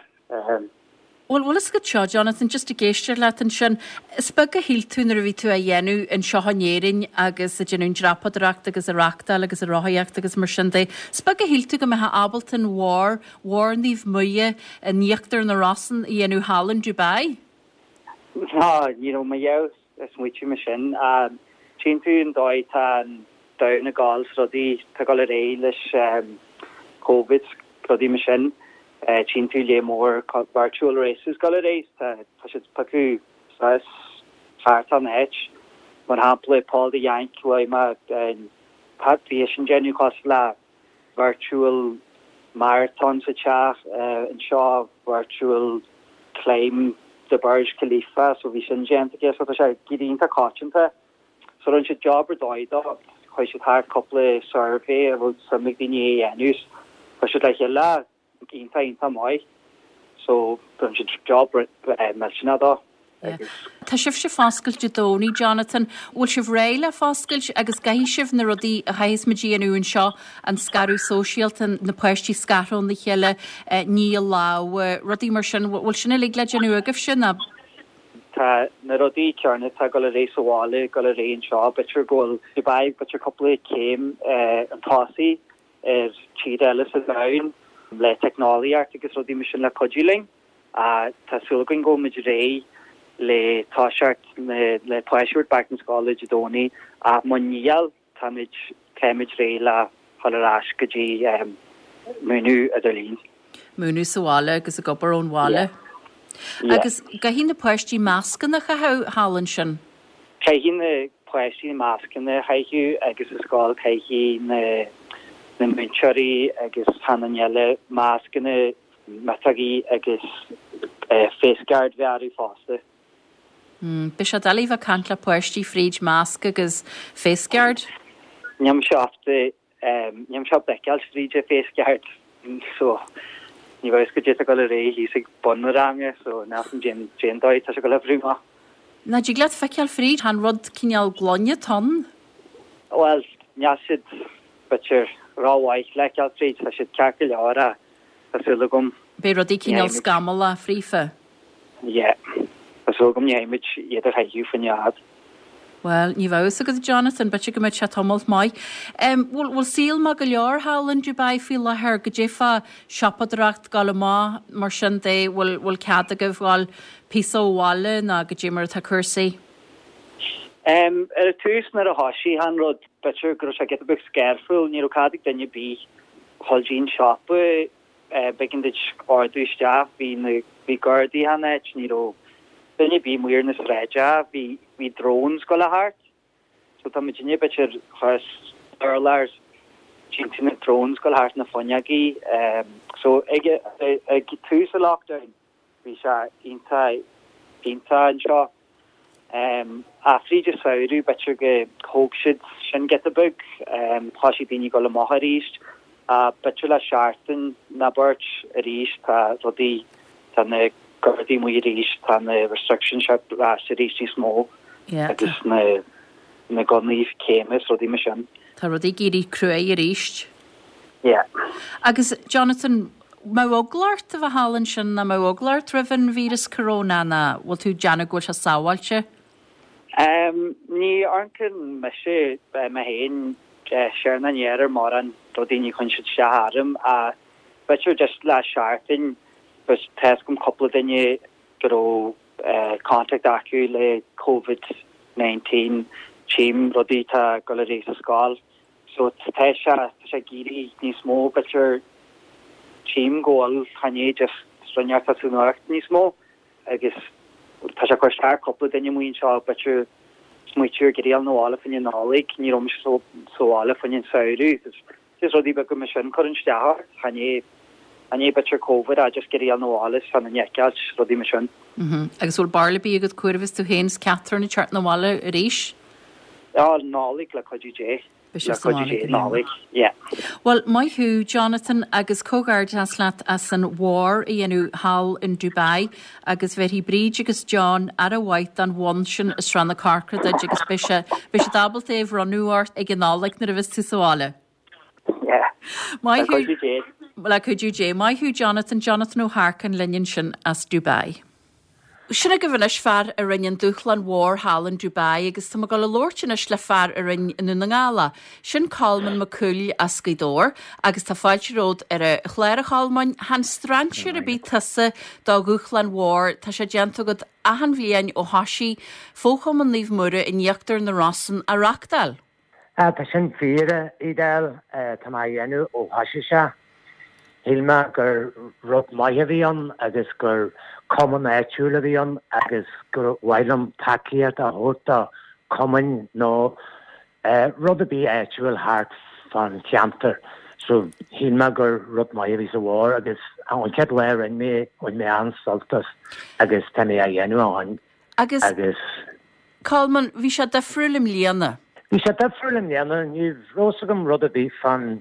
Bhuel, bhfuil fhios agat seo, Jonathan, just ag éisteacht leat ansin, is beag a shíl tú nuair a bhí tú á dhéanamh anseo in Éirinn agus ag déanamh an dreapadóireacht agus ag reachtáil agus ag rothaíocht agus mar sin de, is beag a shíl tú go mbeifeá ábalta an bharr, bharr Naomh Muire in íochtar na Rosann a dhéanamh thall in Dubai. Ná, ní raibh mé riamh ag smaoitiú mar sin. Tchíonn tú an dóigh tá an domhan ag gabháil 's rudaí, tá ag dul ar aghaidh leis Covid 's rudaí mar sin. Tchíonn tú lear mór virtual races ag dul ar aghaidh, tá siad ag piocadh suas thart an áit. Mar shampla, Paul the Yank, luaigh mé an, bhí eisean déanamh cosúil le virtual marathon sa teach anseo, virtual climb the Burj Khalifa, so bhí sin déanta aige, so tá sé ag éirí iontach coitianta. So rinne siad job ar dóigh dó, chuaigh siad thart cúpla survey a bhfuil suim ag daoine a dhéanamh, chuir siad le chéile iontach iontach maith so rinne siad job millteanach dó agus. Tá sibhse foscailt Dé Domhnaigh, Jonathan. Bhfuil sibh réidh le foscailt agus gcaithfidh sibh na rudaí a chaithfeas muid a dhéanamh anseo, an scaradh sóisialta, na páistí scartha óna chéile, ní a lámha, rudaí mar sin, bhfuil sin uilig le déanamh agaibhse nó? Tá. Tá na rudaí céanna atá ag dul ar aghaidh sa bhaile ag dul ar aghaidh anseo. B'fhéidir go bhfuil Dubai b'fhéidir cúpla céim chun tosaigh ar tír eile sa domhan le teicneolaíocht agus rudaí mar sin le cuidiú linn. Ach tá súil againn go bhfuil muid réidh le toiseacht le páistí a thabhairt back na scoile Dé Domhnaigh ach muna níl táimid táimid réidh le dhul ar ais go dtí múineadh idirlín. Múineadh sa bhaile agus ag obair ón bhaile. Yeah. Agus caithfidh na páistí mascanna a chaitheamh thall ansin? Caithfidh na páistí mascanna a chaitheamh agus sa scoil caithfidh na na múinteoirí agus achan duine eile mascanna, miotógaí agus face guard bheith orthu fosta. Beidh sé doiligh bheith ag caint le páistí fríd masc agus face guard. Níl mise ábalta, níl mise ábalta feiceáil fríd an face guard so ní bheadh a fhios goidé atá ag dul ar aghaidh thíos ag bun an ranga so níl a fhios agam cén dóigh atá sé ag dul a oibriú amach. Nach dtig leat feiceáil fríd, chan rud cineál gloine atá ann. Bhuel, níl siad, b'fhéidir, rómhaith le feiceáil fríd, tá siad ceart go leor ach tá súil agam. Beidh rudaí cineál scamallach fríofa. Yeah. Tá súil agam ní chaithfidh muid iad a chaitheamh fá choinne i bhfad. Bhuel, ní bheadh fhios agat, a Jonathan, b'fhéidir go mbeidh sé tamalt maith. Em, bhfuil, bhfuil saol maith go leor thall in Dubai faoi láthair? Goidé fá siopadóireacht, gabháil amach, mar sin de, bhfuil, bhfuil cead agaibh ghabháil píosa ó bhaile nó goidé mar atá cúrsaí? Em, ar an tús nuair a thoisigh an rud, b'fhéidir go raibh sé giota beag scareful, ní raibh cead ag duine ar bith dhul dtí'n siopa, B'éigean duit ordú isteach, bhí na, bhí gardaí achan áit, ní raibh duine ar bith amuigh ar na sráideacha, bhí, bhí drones ag gabháil thart, so tá muidinne b'fhéidir thuas urlár timpeall na drones ag gabháil thart na fuinneogaí, so ag, ag tús an lockdown bhí sé iontach, iontach anseo. Ach fríd an samhradh, b'fhéidir go thóg siad sin giota beag, thoisigh daoine ag dul amach arís. Ach b'fhéidir le seachtain nó beirt arís tá rudaí, tá na Gardaí amuigh arís, tá na restrictions ar ais arís níos mó agus na na gunnaí céime is rudaí mar sin. Tá rudaí ag éirí cruaidh arís. Yeah. Agus Jonathan, mbeadh eagla ort a bheith thall ansin nó mbeadh eagla ort roimh an víreas corona nó bhfuil tú ag déanamh go bhfuil sé sábháilte? Um, ní amharcann mise mé féin siar ná aniar ar mórán rudaí ní chuireann siad isteach orm ach b'fhéidir just le seachtain tá a fhios agam cúpla duine go raibh contact acu le Covid 19 tchím rudaí atá ag dul ar aghaidh sa scoil So tá sé, tá sé ag éirí níos mó, b'fhéidir, tchím go bhfuil, chan é just rud atá sa nuacht níos mó agus tá sé ag cur isteach ar cúpla duine amuigh anseo, b'fhéidir, smaoitiú ar ag iarraidh a dhul 'na bhaile fá choinne Nollaig, ní raibh mise sa bhaile fá choinne an samhradh agus just rudaí beaga mar sin cuireann isteach ort, chan é, chan é b'fhéidir Covid ach just ag iarraidh a dhul 'na bhaile is chan an fheiceáilt, rudaí mar sin. Agus bhfuil barúil ar bith agat cá huair a bheas tú féin is Catherine ag teacht 'na bhaile arís? Á, Nollaig le cuidiú Dé. Beidh Le sibh sa cuidiú bhaile Dé, go dtí an Nollaig, yeah. Bhuel, maith thú, Jonathan, agus comhghairdeas leat as an mhór a dhéanamh thall in Dubai agus bhéarfaidh Bríd agus John aire mhaith don bhonn sin as Srath na Corcra duit agus beidh sé, beidh siad ábalta é a bhronnadh ort ag an Nollaig nuair a bheas tú sa bhaile. Yeah. Maith Le thú. cuidiú Dé. Le cuidiú Dé. Maith thú, Jonathan. Jonathan Ó hEarcáin linn ansin as Dubai. Sin agaibh anois fear a rinne an dúshlán mhór thall in Dubai agus tá mé ag dul a labhairt anois le fear a rinne i nDún na nGall é. Sin Colmán Mac Cumhaill as Gaoth Dobhair agus tá fáilte romhat ar an chlár a Cholmáin. Chan strainséir ar bith tusa do dhúshlán mhór, tá sé déanta agat achan bhliain ó thoisigh Fo-Chumann Naomh Muire in Íochtar na Rosann á reachtáil. Tá sin fíor, a Edel. Tá mé á dhéanamh ó thoisigh sé. Shíl mé gur rud maith a bhí ann agus gur cumann áitiúil a bhí ann agus gur mhaith liom tacaíocht a thabhairt do chumainn nó rud ar bith áitiúil thart fán cheantar. So shíl mé gur rud maith a bhí sa mhór agus an chéad lá a rinne mé é, bhain mé an-sult as agus tá mé á dhéanamh ó shin. Agus, Agus. Colmán, bhí sé difriúil i mbliana. Bhí sé difriúil i mbliana. Ní raibh fhios agam rud ar bith fán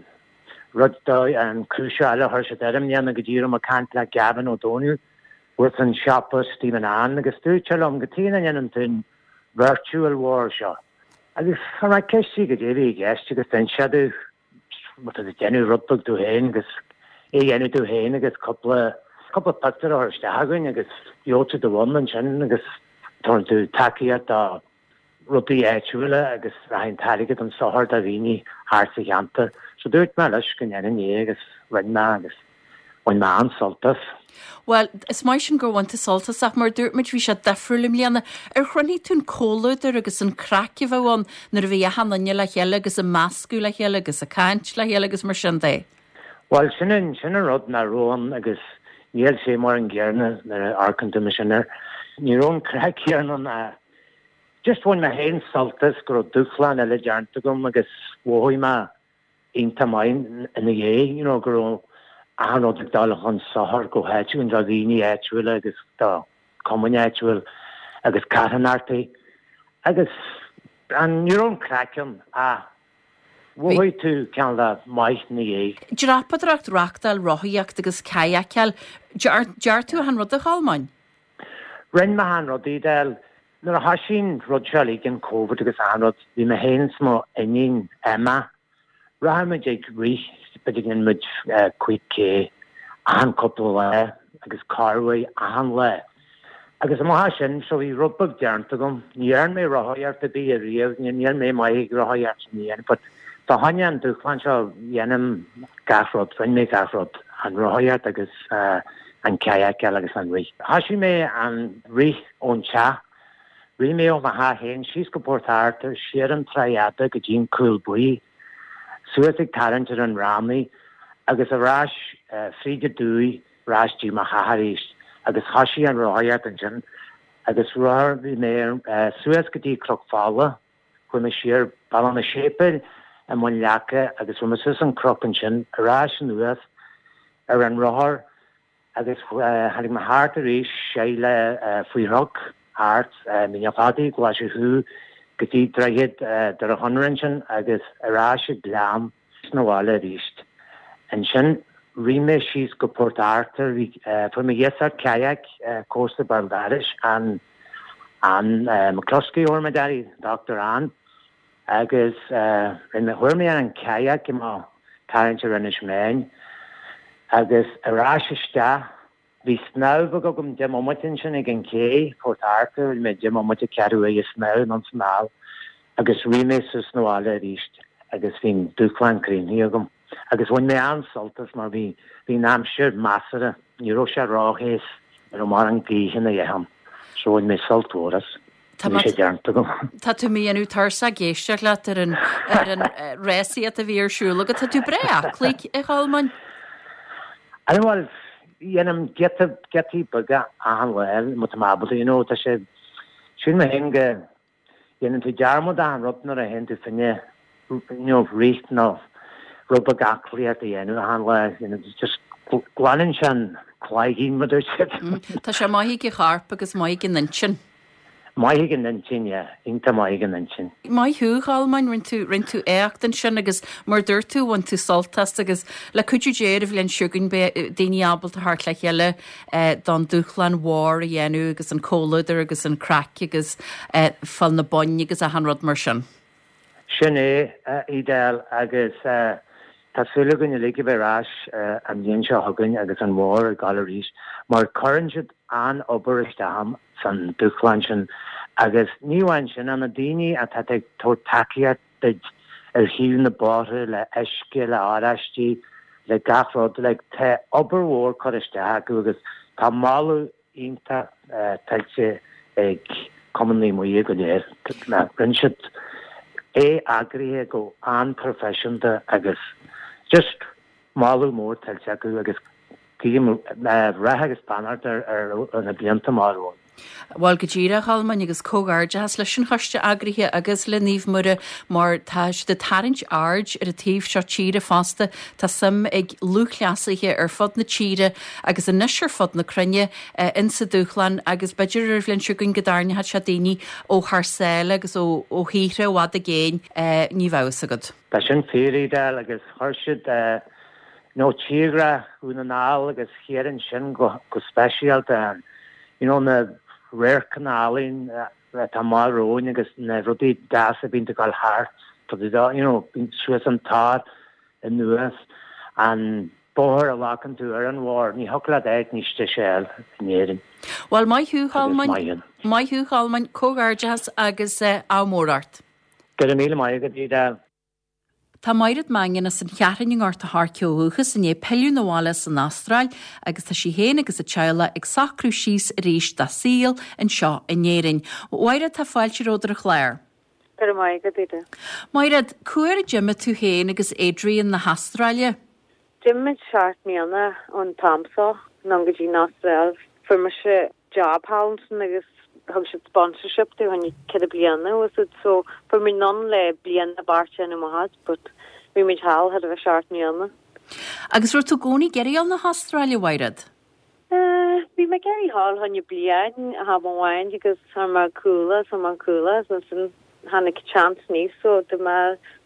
rud dóigh, an cúis eile a chuir siad air i mbliana go dtí go raibh mé ag caint le Gavin Ó Dónaill with an siopa Stephen Ann agus dúirt sé liom cad chuige nach ndéanann tú an virtual mhór seo. Agus chuir mé ceist air goidé a bhí i gceist agus d'inis sé domh Má tá tú ag déanamh rud beag tú féin agus é a dhéanamh tú féin agus cúpla, cúpla pictiúr a chur isteach againn agus gheobhaidh tú do bhonn ansin agus. Tabharann tú tacaíocht do rudaí áitiúla agus rachaidh an t-airgead chun sochair do dhaoine thart sa cheantar. So dúirt mé leis go ndéanfainn é agus rinne mé agus bhain mé an-sult as. Bhuel, is maith sin gur bhain tú sult as ach mar a dúirt muid bhí sé difriúil i mbliana. Ar chruthaigh tú an comhluadar agus an craic a bheadh ann nuair a bhí achan duine le chéile agus ag meascadh le chéile agus ag caint le chéile agus mar sin de? Bhuel, sin an, sin an rud nach raibh ann agus níl sé mar an gcéanna nuair a amharcann tú mar sin air. Ní raibh an craic céanna ann ach just bhain mé féin sult as go raibh dúshlán eile déanta agam agus mhothaigh mé iontach maith ina dhiaidh, you know, go raibh achan rud ag dul chun sochair go háitiúil, do dhaoine áitiúla agus do chumainn áitiúil agus carthanachtaí agus an, ní raibh an craic ann ach Mhothaigh tú cineál de maith ina dhiaidh. Dreapadóireacht, rachtáil, rothaíocht agus cadhcáil. Dear tú achan rud a Cholmáin? Rinne mé achan rud, Edel. Nuair a thoisigh an rud seo uilig, an Covid agus achan rud, bhí mé féin is mo iníon Emma, rachadh muid ag rith, b'fhéidir go ndéanadh muid 5K achan cúpla lá agus corruair achan lá. Agus amach as sin, so bhí rud beag déanta agam. Ní dhearn mé rothaíocht ar bith ariamh, níl mé maith ag rothaíocht sin a dhéanamh, but fá choinne an dúshlán seo, dhéanaim gach rud, rinne mé gach rud, an rothaíocht agus an cadhcáil agus an rith. Thoisigh mé an rith ón teach, rith mé ó mo theach féin síos go Port Arthur, siar an Tráigh Fhada go dtí an Cúl Buí, suas ag tarraingt ar an fhrámaí agus ar ais fríd an dumhaigh ar ais dtí mo theach arís agus thoisigh an rothaíocht ansin agus rothaigh mé suas go dtí Cnoc Fola, chuaigh mé siar Bealach na Séipéil i mBun Leaca agus chuaigh mé suas an cnoc ansin ar ais anuas ar an rothar agus tháinig mé thart arís siar le faoi chnoc thart Mín an Chladaigh, Glaise Chú go dtí Droichead Doire Chonaire ansin agus ar ais ag Gleann 'na bhaile arís. Ansin rith mé síos go Port Arthur, fuair mé iasacht kayak, comharsa béal dorais, Ann Ann McCluskey a thabhair mé d'air, Doctor Ann, agus rinne chuir mé ar an kayak i mo tarraingt ar Inis Meáin agus ar ais isteach Bhí snámh beag agam 10 mbomaite ansin ag an cé, Port Arthur, bhí mé 10 mbomaite ceathrú uaire ag snámh anonn 's anall agus rith mé suas 'na bhaile arís agus bhí an dúshlán críochnaithe agam. Agus bhain mé an-sult as mar bhí, bhí an aimsir measartha, ní raibh sé róthe, ní raibh mórán gaoithe ná a dhath ann, so bhain mé sult mhór as. Tá mé, tá tú mo dhéanamh tuirseach ag éisteacht leat ar an, ar an rásaíocht a bhí ar siúl agat. Tá tú breá aclaí, a Cholmáin. I know, bhuel, dhéanaim giota, giotaí beaga achan lá, má tá mé ábalta, you know, tá sé, sílim mé féin go dhéanann tú dearmad achan rud nuair a théann tú fá choinne, you know, rith nó rud beag aclaíocht a dhéanamh achan lá, you know, just glanann sé an cloigeann, mar a dúirt siad. Tá sé maith ag an chorp agus maith ag an intinn. Maith ag an intinn, yeah. Iontach maith ag an intinn. Maith thú, a Cholmáin, rinne tú, rinne tú éacht ansin agus mar a dúirt tú, bhain tú sult as agus le cuidiú Dé ar an bhliain seo chugainn beidh daoine ábalta theacht le chéile don dúshlán mhór a dhéanamh agus an comhluadar agus an craic agus fáil na boinn agus achan rud mar sin. Sin é, a Edel, agus tá súil againn uilig a bheith ar ais an bhliain seo chugainn agus an mhór ag gabháil arís, mar cuireann siad an-obair isteach san dúshlán sin agus ní amháin sin, ach na daoine atá ag tabhairt tacaíocht duit ar thaobh na bóithre le uisce, le oráistí, le gach rud, like tá obair mhór curtha isteach acu agus tá moladh iontach tuillte ag Cumann Naomh Muire go léir. Rinne siad é eagraithe go an-proifisiúnta agus just moladh mór tuillte acu agus guím rath agus beannacht ar na blianta amach romhainn. Bhuel, go díreach, a Cholmáin, agus comhghairdeachas leis an choiste eagraithe agus le Naomh Muire mar tá siad ag tarraingt aird ar an taobh seo tíre fosta. Tá suim ag lúthchleasaithe ar fud na tíre agus anois ar fud na cruinne insa dúshlán agus b'fhéidir ar an bhliain seo chugainn go dtarraingeoidh sé daoine ó thar sáile agus ó thíortha i bhfad i gcéin, ní bheadh fhios agat. Tá sin fíor, Edel, agus chuir siad you know tírdhreach Dhún na nGall agus thiar ansin go speisialta, you know na radharcanna álainn atá amach romhainn agus na rudaí deasa a bhíonn ag dul thart, you know, suas an tor anuas, an. Bóthar a bhfacann tú ar an bhóthar, ní thiocfadh leat áit níos deise a fháil in Éirinn. Bhuel, maith thú, Cholmáin. Maith thú, Cholmáin. Comhghairdeachas agus ádh mór ort. Go raibh míle maith agat, Edel. Tá Maighread Mangan as an Cheathrúin i nGort a' Choirce ó dhúchas i ndiaidh pilleadh 'na bhaile as an Astráil agus tá sí féin agus a teaghlach ag socrú síos arís dá saol anseo in Éirinn. A Mhaighread, tá fáilte romhat ar an chlár. Go raibh maith agat, Edel. Maighread, cá huair a d'imigh tú féin agus Adrian na hAstráile? D'imigh muid seacht mbliana ón t-am seo anonn go dtí an Astráil. Fuair mise job thall ansin agus thug siad sponsorship dúinn choinne ceithre bliana was it so fuair muid anonn le bliain a beart déanamh amach as but bhí muid thall thar a bheith seacht mbliana. Agus raibh tú i gcónaí ag iarraidh a dhul na hAstráile, a Mhaighread? Bhí mé ag iarraidh dhul choinne bliain am amháin agus chuir mé cúl as, chuir mé cúl as ansin tháinig chance aníos so dúirt mé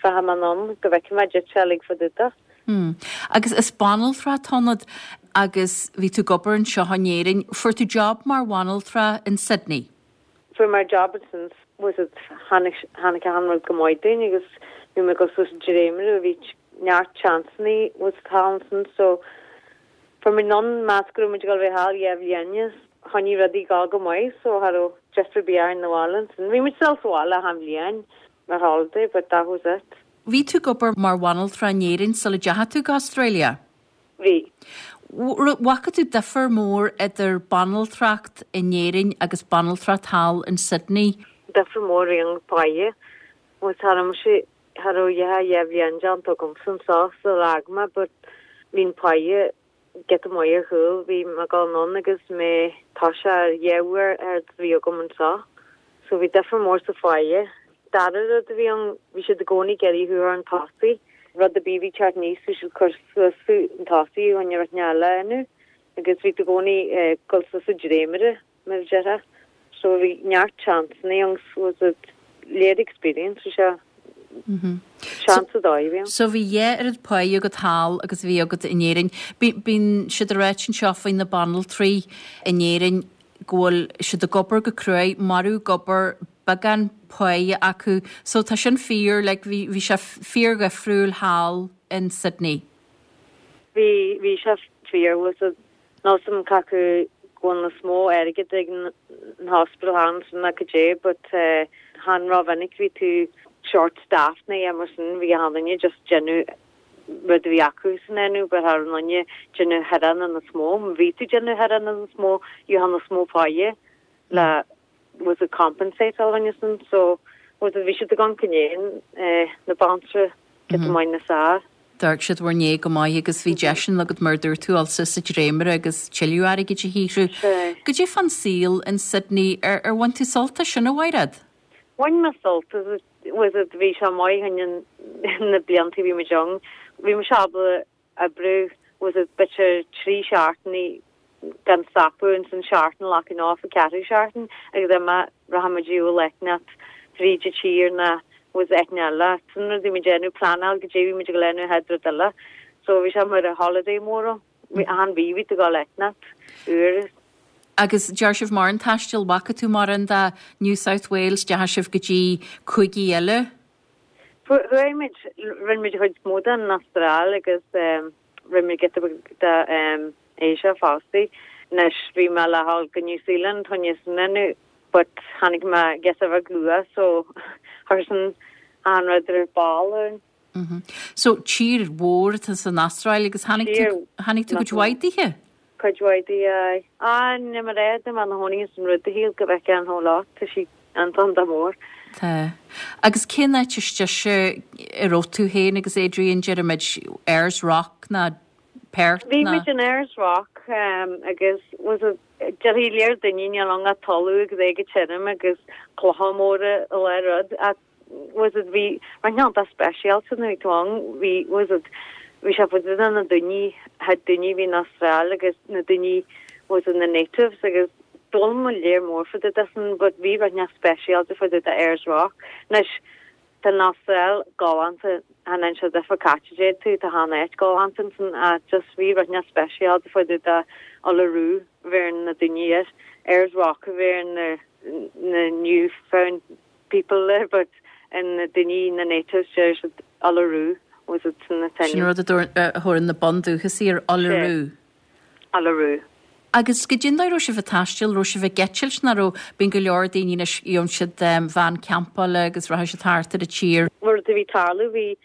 rachaidh mé anonn go bhfeicfidh mé caidé atá uilig fá dtaobh de. Hmm. Agus is banaltra atá ionat agus bhí tú ag obair anseo in Éirinn. Fuair tú job mar bhanaltra in Sydney? Fuair mé job ansin was it tháinig tháinig achan rud go maith dúinn agus bhí mé ag dul suas an dréimire bhí neart chanceannaí was it thall ansin so Fuair muid anonn meas go raibh muid ag dul a bheith thall dhá bhliain is choinnigh rudaí ag dul go maith so cha raibh deifir ar bith orainn na bhaile ansin. Bhí muid still sa bhaile achan bhliain mar holiday but that was it. Bhí tú ag obair mar bhanaltra in Éirinn sula dteachaigh tú go Australia? Bhí. Bhfaca tú difear mór idir banaltracht in Éirinn agus banaltracht thall in Sydney? Difear mór bhí an pháighe. Bhuel cha raibh mise, cha raibh dhá dhá bhliain déanta agamsa anseo sular fhág mé but bhí an pháighe giota maith ar chúl, bhí mé ag dul anonn agus mé toiseacht ar dhá uair an méid a bhí agam anseo. So bhí difear mór sa pháighe. Dara rud a bhí ann, bhí siad i gcónaí ag iarraidh thú a chur chun tosaigh. Rud ar bith a bhí ag teacht aníos, bhí siad ag cur suas thú chun tosaigh i gcoinne rud eile a dhéanamh agus bhí tú i gcónaí ag dul suas an dréimire. mar a déarfá. So bhí neart chanceannaí ann was it léir experience bhí sé seans a dóigh a bhí ann. So bhí dhá oiread páighe agat thall agus a bhí agat in Éirinn. Bíonn siad ag ráit anseo faoi na banaltraí in Éirinn go bhfuil siad ag obair go cruaidh, marú ag obair, beagán páighe acu. So tá sin fíor, like bhí bhí sé fíor-dhifriúil thall in Sydney. Bhí bhí sé fíor was it Níl 's a'm cé acu go bhfuil níos mó airgead ag an hospital thall ansin ná cad é but chan rómhinic bhí tú short staffed nó a dhath mar sin bhí achan duine just déanamh rud a bhí acu san déanamh but cha raibh aon duine déanamh thaireanna níos mó má bhí tú déanamh thaireanna níos mó gheofá níos mó páighe le was it compensate all an sin so was it bhí siad ag an gcinnéan na baintreacha giota maith níos fearr. D'amharc siad bhur ndiaidh go maith agus bhí deiseanna agat mar a dúirt tú dul suas an dréimire agus tuilleadh airgid a shaothrú. Goidé fán saol in Sydney, ar ar bhain tú sult as sin a Mhaighread? Bhain mé sult as was it bhí sé maith choinne na blianta a bhí muid ann. Bhí mise ábalta oibriú was it b'fhéidir 3 seachtainí gan stopadh ansin seachtain locking off an ceathrú seachtain agus then má rachaidh muid ar shiúl áit fríd an tír ná was áit eile sin rud a bhí muid déanamh pleanáil goidé bhí muid ag dul a dhéanamh an chéad rud eile so bhí sé mar a holiday mór ann bhí achan mhí bhí tú ag dul áit úr. Agus deir sibh mórán taistil, bhfaca tú mórán de New South Wales, deachaigh sibh go dtí cúigí eile? Chuaigh muid, rinne muid an chuid is mó den Astráil agus rinne muid giota beag de Asia fosta. Anois bhí mé le dhul go New Zealand choinne sin a dhéanamh but tháinig mé giota beag luath so chuir sin an rud ar ball orainn. So tír mhór atá san Astráil agus tháinig tú, tháinig tú cuid mhaith dithe? Cuid mhaith di, aye. Ah, níl mé réidh, tá mé ina chónaí ins an rud a shíl go bhfeicfeá an whole lot, tá sí iontach mór. Tá. Agus cén áit is deise a raibh tú féin agus Adrian, deirimid, Ayers Rock ná Perth Bhí ná? muid in Ayers Rock agus was it, déarfaidh léir daoine níl ann ach talamh agus é go tirim agus clocha móra i lár rud ach was it bhí rud iontach speisialta nuair a bhí tú ann bhí was it bhí sé fá dtaobh de na daoine had daoine a bhí in Astráil agus na daoine was it na natives agus d'fhoghlaim mé léir mór fá dtaobh de sin but bhí rud inteacht speisialta fá dtaobh de Ayers Rock anois tá an Astráil galánta chan aon sé difear cá háit a dtéid tú tá achan áit galánta ansin ach just bhí rud inteacht speisialta fá dtaobh de Uluru a bheireann na daoine air Ayers Rock a bheireann na na new found people there but na daoine na natives deir siad Uluru. Was it sin an t-ainm. Sin rud a thabharann na bundúchasaigh ar Uluru. Sea. Uluru. Agus goidé an dóigh a raibh sibh ag taisteal, raibh sibh ag eitilt nó raibh, bíonn go leor daoine anois, gheobhann siad veain campála agus rachaidh siad thart ar an tír. Mar a bhí ag tarlú, bhí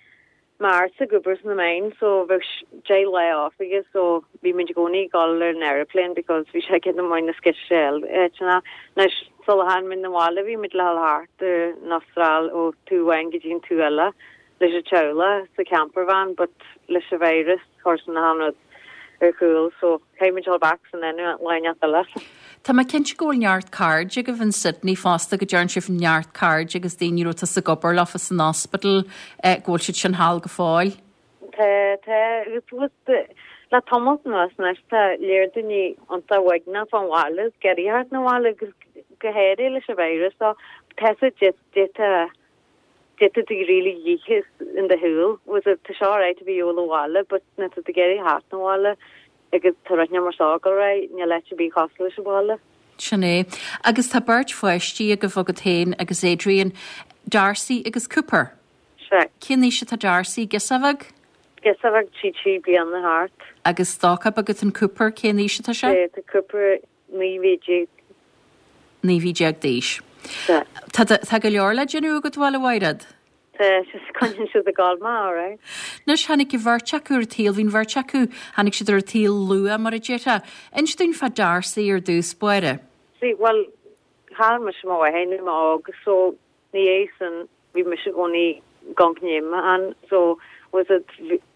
m'fhearsa ag obair sna meáin so bheadh 10 lá off aige so bhí muid i gcónaí ag dul ar an aeroplane because bhí sé giota maith níos gaire áiteanna. Anois sula tháinig muid 'na bhaile bhí muid le dhul thart ar an Astráil ó taobh amháin go dtí an taobh eile leis an teaghlach sa camper van but leis an virus chuir sin achan rud ar chúl so caithfidh muid dul back san aon lá inteacht eile. Tá mé cinnte go bhfuil neart cairde agaibh in Sydney fosta, go dtearn sibh neart cairde agus daoine a raibh tusa ag obair leofa san ospidéal, go bhfuil siad sin thall go fóill. Tá, tá, agus le tamalt anuas anois tá lear daoine iontach uaigneach fán bhaile is ag iarraidh theacht 'na bhaile agus go háirithe leis an virus so tá sé d'fhéadfá D'fhéadfá do really dhícheas in do shúil. Was it tá sé alright a bheith ag dul abhaile but nuair atá tú ag iarraidh theacht 'na bhaile agus tá rud inteacht mar seo ag dul ar aghaidh, níl áit ar bith cosúil leis an bhaile. Sin é. Agus tá beirt pháistí agaibh, agat féin agus Adrian, Darcy agus Cooper. Sea. Cén aois atá Darcy? Girseach bheag? Girseach bheag, tá sí 3 bliana thart. Agus stócach beag atá in Cooper, cén aois atá sé? Sea, tá Cooper 19 mhí. 19 mhí d'aois. Sea. Tá, tá go leor le déanamh agat, bhuel, a Mhaighread. Tá, coinníonn siad ag gabháil mé, alright. Anois, tháinig an bheirt acu ar an tsaol, bhí an bheirt acu, tháinig siad ar an tsaol luath, mar a déarfá. Inis dúinn fá Darcy ar dtús báire. Sea, bhuel, chaill mise mo mháthair nuair a bhí mé óg, so ina dhiaidh sin bhí mise i gcónaí gan gnéim ann, so was it,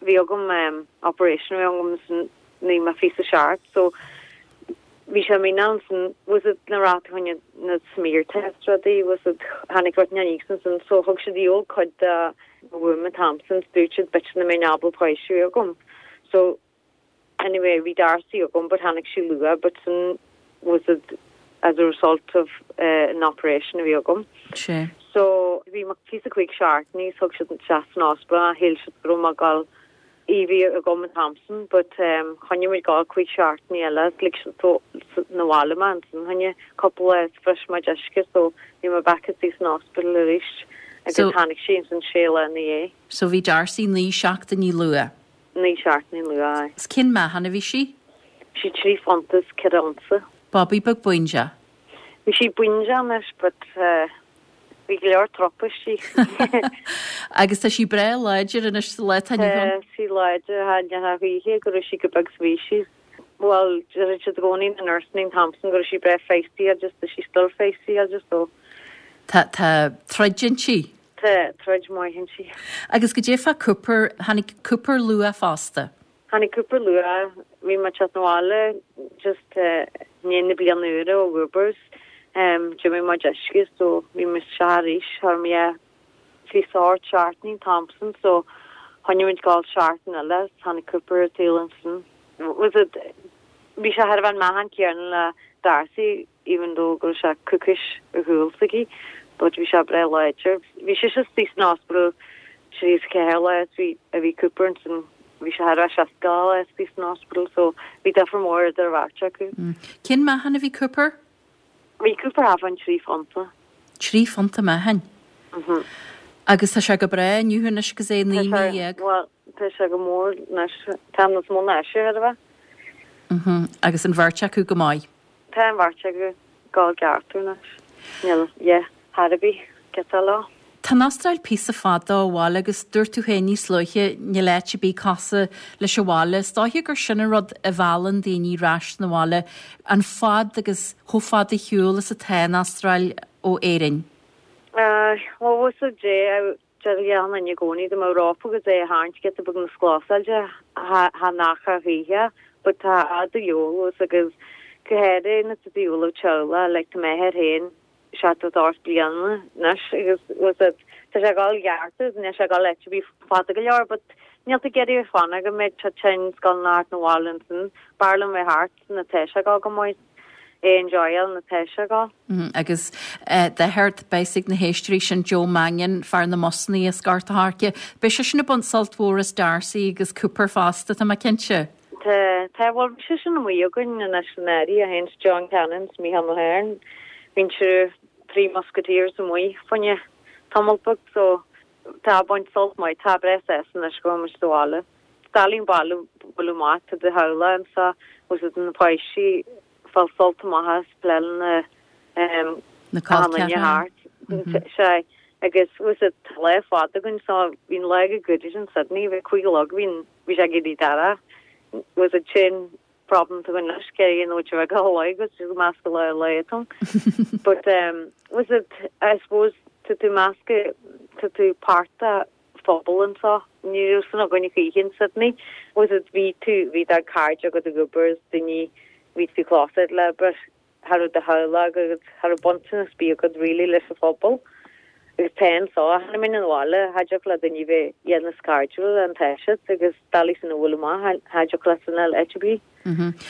bhí agam operation a bhí agam san nuair a bhí mé 27, so bhí sé mí ann san was it na rat choinne na smear test rudaí, was it tháinig rud aníos ansin, so thug siad dhíol cuid de mo womb an t-am sin, dúirt siad b'fhéidir nach mbeinn ábalta páiste a bheith agam, so Anyway, bhí Darcy agam but tháinig sí luath but sin was it as a result of an operation a bhí agam. Sea. So bhí mé 25 seachtainí is thug siad isteach san ospidéal mé, shíl siad go raibh mé ag dul í bhí agam an t-am sin but choinnigh muid ag dul 5 seachtainí eile is lig siad 'na bhaile mé ansin choinne cúpla lá is bhris mé diosca so bhí mé back istigh san ospidéal arís agus tháinig sí ansin sé lá ina dhiaidh. So bhí Darcy 9 seachtainí luath. 9 seachtainí luath, aye. 'S cén meáchan a bhí sí? Bhí sí 3 phunta is 4 unsa. Babaí beag buindeach. Bhí sí buindeach anois but bhí go leor trup istigh. Agus tá sí breá láidir anois sa lá atá inniu ann. Tá sí láidir, cha ndeachaigh choíche go raibh sí chomh beag 's a bhí sí. Bhuel, deir siad i gcónaí na nurseanna an t-am sin go raibh sí breá feisty agus tá sí still feisty agus so. Tá, tá troid inti. Tá troid maith inti. Agus goidé fá Cooper, tháinig Cooper luath fosta. Tháinig Cooper luath, bhí mé ag teacht 'na bhaile just i ndiaidh na bliana úire ó Uber's, d'imigh mo deisce so bhí mé isteach arís, chuir mé 28 seachtainí an t-am sin so choinnigh muid ag gabháil seachtain eile is tháinig Cooper ar an tsaol ansin. Was it, bhí sé thar a bheith an meáchan céanna le Darcy, even though go raibh sé coicís ar chúl s'aici, but bhí sé breá láidir. Bhí sise istigh san ospidéal 34 lá is bhí a bhí Cooper ansin bhí sé thar a bheith 60 lá istigh san ospidéal so bhí difear mór idir an bheirt acu. Cén meáchan a bhí Cooper? Bhí Cooper thart fán 3 phunta. 3 phunta meáchain? Mhm. Agus tá sé go breá inniu anois agus é 19 mí. Bhuel, tá sé go mór anois, tá níos mó ná ise thar a bheith. Mhm. Agus an bheirt acu go maith? Tá an bheirt acu ag gabháil i gceart anois. Níl a dhath ar bith giota leo. Tá an Astráil píosa fada ó bhaile agus dúirt tú féin níos luaithe níl áit ar bith cosúil leis an bhaile. Is dóiche gur sin an rud a mheallann daoine ar ais 'na bhaile, an fad agus chomh fada ar shiúl is atá an Astráil ó Éirinn. Aye, bhuel bhfuil 's a'd, Deir achan duine i gcónaí dá mbeadh rópa agus é a tharraingt giota beag níos clósáilte cha ndeacha a choíche but tá fhad de eolas agus go háirithe nuair atá tú ag gabháil le teaghlach like tá m'athair féin 78 bliana anois agus bhfuil 's a'd tá sé ag dul i gceart agus níl sé ag dul áit ar bith fada go leor but níl tú ag iarraidh fanacht go mbeidh sé tinn 's dul thart 'na bhaile ansin b'fhearr liom bheith thart nuair atá sé ag dul go maith. é enjoyáil nuair atá sé ag dul. Agus d'athair, beidh 's ag na héisteoirí sin Joe Mannion, fear na mbusannaí as Gort a' Choirce. Beidh seisean ag baint sult mhór as Darcy agus Cooper fosta, tá mé cinnte. Tá, tá, bhuel bhí seisean amuigh againn anois san áirithe, é féin 's John Cannon 's Mícheál Mulhern, bhí an triúr, Three Musketeers amuigh fá choinne tamall beag so. Tá ag baint sult maith, tá breá sásta anois go bhfuil muid sa bhaile. Is doiligh an baile a bhualadh amach, tá do theaghlach anso, bhfuil siad na páistí ag fáil sult amach as plé lena Na col ceathracha. thart. Sea, agus bhfuil siad tá lá fada againn so bhí an lá go gooded in Sydney, bhí 5 a chlog, bhí bhí sé ag éirí dorcha, bhfuil siad sin problem tú anois cé an uair a go lá agus tú measctha le lá tú. But um, was it I suppose tá tú measctha tá tú páirt de phobal anseo. Ní raibh san againn choíche in Sydney. Was it bhí tú bhí do cairde agat ag obair is daoine bhí tú close le but cha raibh do theaghlach agat, cha raibh baint ar bith agat really leis an phobal. Agus tá anso, chan muid an bhaile, cha dtiocfadh le duine bheith dhéanamh cairdiúil an tá siad agus doiligh san a bhualadh amach, cha dtiocfadh leat san fháil áit ar bith.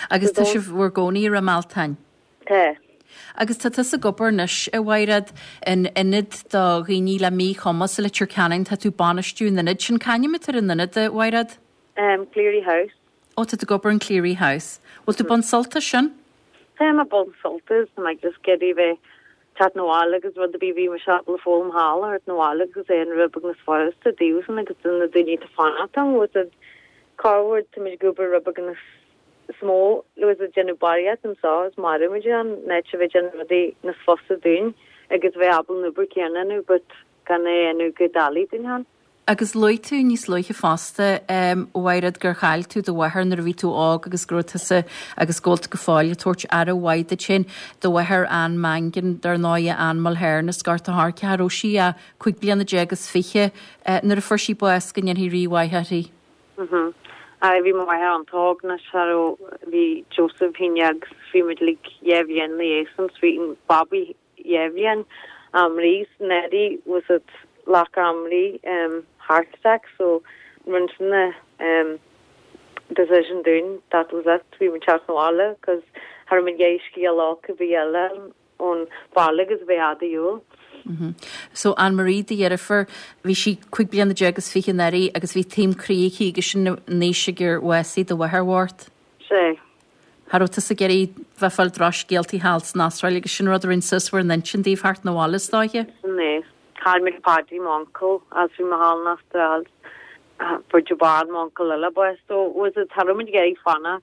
Agus tá sibh bhur gcónaí i Ráth Mealtain? Tá. Agus tá tusa ag obair anois, a Mhaighread, in ionad do dhaoine le míchumas i Leitir Ceanainn, tá tú ag bainistiú an ionaid sin. C'ainm atá ar an ionad, a Mhaighread? Cleary House. Ó, tá tú ag obair in Cleary House. Bhfuil tú ag baint sult as sin? Táim ag baint sult as, tá mé just ag iarraidh bheith teacht 'na bhaile agus rud ar bith bhí mise ábalta foghlaim thall a thabhairt 'na bhaile agus é an rud beag níos fusa daofasan agus do na daoine atá fanacht ann bhfuil siad corruair tá muid ag obair rud beag níos mó bhfuil siad déanamh barraíocht anseo is maireann muid ann in áit a bheith déanamh rudaí níos fusa dúinn agus bheith ábalta an obair céanna a dhéanamh but gan é a dhéanamh go doiligh dúinn ann. Agus luaigh tú níos luaithe fosta, a Mhaighread, gur chaill tú do mháthair nuair a bhí tú óg agus go raibh tusa agus go bhfuil tú go fóill ag tabhairt aire mhaith duit féin. Do mháthair Anne Mangan, dar ndóighe, Anne Mulhern as Gort a' Choirce, cha raibh sí ach 25 bliana nuair a fuair sí bás, go ndéanfaidh Rí mhaith uirthi. Aye, bhí mo mháthair an-óg anois, cha raibh, bhí Joseph féin agus bhí muid uilig dhá bhliain ina dhiaidh san, so bhí an babaí dhá bhliain Anne-Marie anuraidh was it ghlac Anne-Marie heart attack so rinne sin na decision dúinn that was it bhí muid teacht 'na bhaile cos cha raibh muid ag iarraidh scéal olc ar bith eile ón bhaile agus bheith fhada shiúl. So Anne-Marie do dheirfiúr bhí sí 25 bliana anuraidh agus bhí taom croí aici agus sin an aois ag ar bhásaigh do mháthair bhocht. Sea. Cha raibh tusa ag iarraidh bheith ag fáil drochscéaltaí thall san Astráil agus sin rud a rinne suas bhur n-intinn daoibh theacht 'na bhaile is dóiche. Sin é. Chaill muid Paddy, m'uncail, agus bhí mé thall in Astráil. Fuair Joban, m'uncail eile, bás. So, was it, cha raibh muid ag iarraidh fanacht.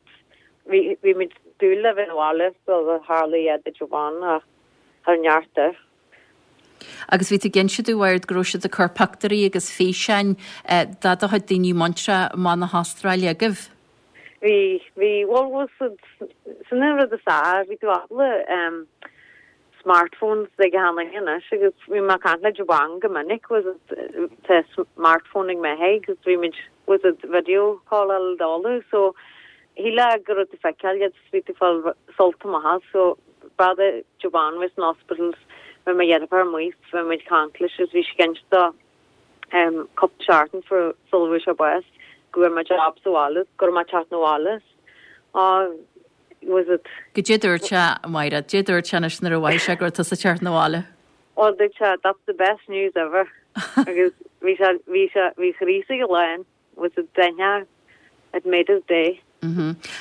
Bhí, bhí muid dúil le bheith 'na bhaile sular tharla a dhath do Joban ach cha raibh neart air. Agus bhí tú ag inse domh, a Mhaighread, go raibh siad ag cur pioctúirí agus físeáin de do chuid daoine muinteartha amach na hAstráile agaibh. Bhí, bhí, bhuel, bhuel, sin an rud is fearr, bhí tú ábalta ehm smartphones ag achan duine anois agus bhí mé ag caint le Joban go minic, was it, tá smartphone ag m'athair agus bhí muid, was it video call al dála so shílfeá go raibh tú feiceáil iad, bhí tú fáil sult amach as so brother Joban was in hospitals, bhí mo dheirfiúr amuigh, bhí muid ag caint leis agus bhí sí ag inse dó cúpla seachtain sula bhfuair sé bás go bhfuair mé job sa bhaile, go raibh mé ag teacht 'na bhaile. Oh, was it. Goidé dúirt sé, a Mhaighread, goidé dúirt sé anois nuair a mhothaigh sé go raibh tusa ag teacht 'na bhaile? Well, dúirt sé, that's the best news ever. Agus bhí sé, bhí sé, bhí a chroí istigh lán. Was it deichneach? It made his day.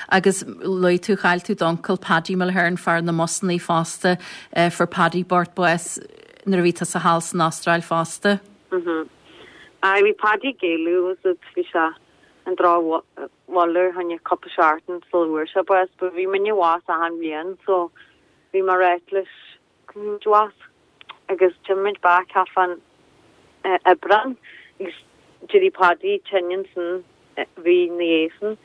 Agus luaigh tú, chaill tú d'uncail Paddy Mulhern, fear na mbusannaí fosta, fuair Paddy bocht bás nuair a bhí tusa thall san Astráil fosta. Aye, bhí Paddy ag éalú, was it, bhí sé an drochbhaile fá choinne cúpla seachtain sula bhfuair sé bás, but bhí muidne abhus achan bhliain so bhí mé ag ráit leis go raibh muid abhus agus d'imigh muid back thart fán Aibreán agus d'éirigh Paddy tinn ansan mhí ina dhiaidh san.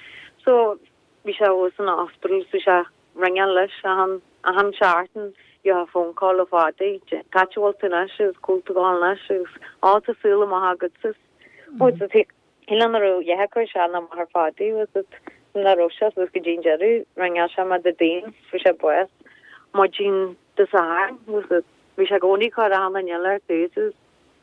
So bhí sé abhus san hospital so bhí sé ringeáil leis achan achan seachtain gheofá phone call ó Phaddy cá háit a bhfuil tú anois agus cá bhfuil tú ag gabháil anois agus á tá súil amach agatsa. Ó so shílfeá nach raibh a dhath ag cur isteach ná amach ar Phaddy was it nach raibh sé suas go dtí an deireadh ringeáil sé mé Déardaoin fuair sé bás maidin Dé Sathairn was it bhí sé i gcónaí ag cur achan duine eile ar dtús is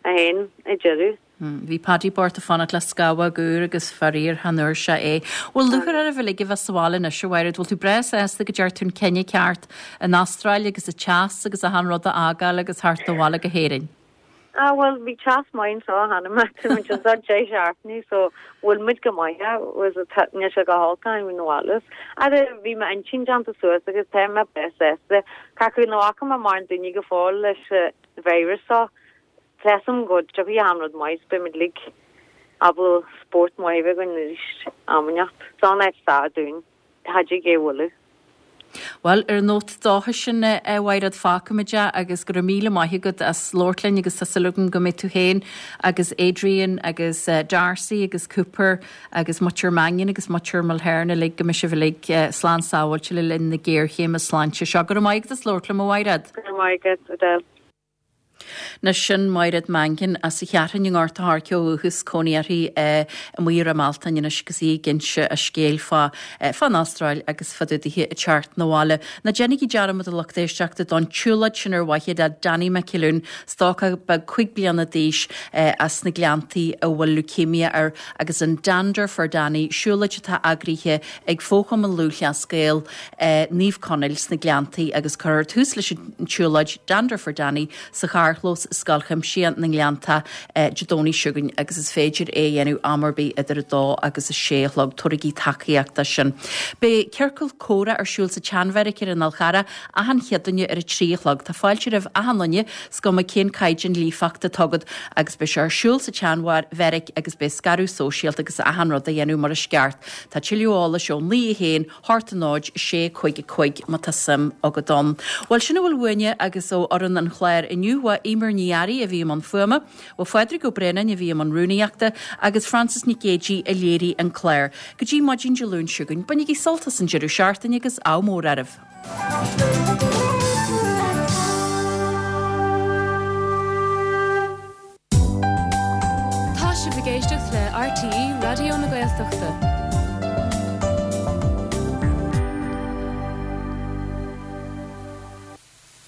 é féin ag deireadh. Bhí Paddy bocht ag fanacht le scamhóg úr agus faraor chan fhuair sé é. Bhfuil lúcháir oraibh uilig a bheith sa bhaile anois, a Mhaighread? Bhfuil tú breá sásta go ndearna tú an cinneadh ceart an Astráil agus an teas agus achan rud a fhágáil agus theacht abhaile go hÉirinn? Ah bhuel bhí teas maith anseo cheana mé tá muid anseo deich seachtainí so bhfuil muid go maith was it níl sé go holc againn na bhaile. Ara bhí m'intinn déanta suas agus tá mé breá sásta. Cé acu nach bhfaca mé mórán daoine go fóill leis an virus seo. Tá a fhios agam go dtiocfaidh achan rud maith is beidh muid uilig ábalta spórt maith a bheith againn arís am inteacht. Is an-áit sách dúinn. Cha dtig é a bhualadh. Bhuel, ar an nóta dóchais sin, a Mhaighread, fágfaimid é agus go raibh míle maith agat as labhairt linn agus tá súil agam go mbeidh tú féin agus Adrian agus Darcy agus Cooper agus Muintir Mannion agus Muintir Mulhern uilig, go mbeidh sibh uilig slán sábháilte le linn na géarchéime sláinte seo. Go raibh maith agat as labhairt liom, a Mhaighread. Go raibh maith agat, Edel. Anois sin Maighread Mangan as an Cheathrúin i nGort a' Choirce ó dhúchas, cónaí uirthi amuigh i Ráth Mealtain anois agus í ag inse a scéil fá fán Astráil agus fá dtaobh dithe ag teacht 'na bhaile. Ná déanaigí dearmad a lucht éisteachta don tsiúlóid sin ar mhaithe le Danny McAloon, stócach beag 5 bliana d'aois as na Gleanntaí a bhfuil leukemia air agus an Dander for Danny, siúlóid atá eagraithe ag Fo-Chumann Lúthchleas Gael Naomh Conaill sna Gleanntaí agus cuirfear tús leis an tsiúlóid Dander for Danny sa charrchlós i Scoil Chuimsitheach na nGleanntach Dé Domhnaigh seo chugainn agus is féidir é a dhéanamh am ar bith idir 2 agus 6 a chlog. Tabharaigí tacaíocht dó sin. Beidh ciorcal comhrá ar siúl sa tSeanbheairic ar an Fhál Charrach achan Chéadaoine ar 3 a chlog. Tá fáilte roimh achan duine, is cuma cén caighdeán líofachta atá agat agus beidh sé ar siúl sa tSeanbheairic agus beidh scaradh sóisialta agus achan rud á dhéanamh mar is ceart. Tá tuilleadh eolais ó 9 1 8 0 6 5 5 má tá suim agat ann. Bhuel, sin a bhfuil uainne agus ó fhoireann an chláir inniu. Ba Eimear Ní Fhearraigh a bhí i mbun fuaime, ba Phádraig Ó Braonáin a bhí i mbun rúnaíochta agus Frances Nic Géadaigh a léirigh an clár. Go dtí maidin Dé Luain seo chugainn, bainigí sult as an deireadh seachtaine agus ádh mór oraibh. Tá sibh ag éisteacht le RTÉ Raidió na Gaeltachta.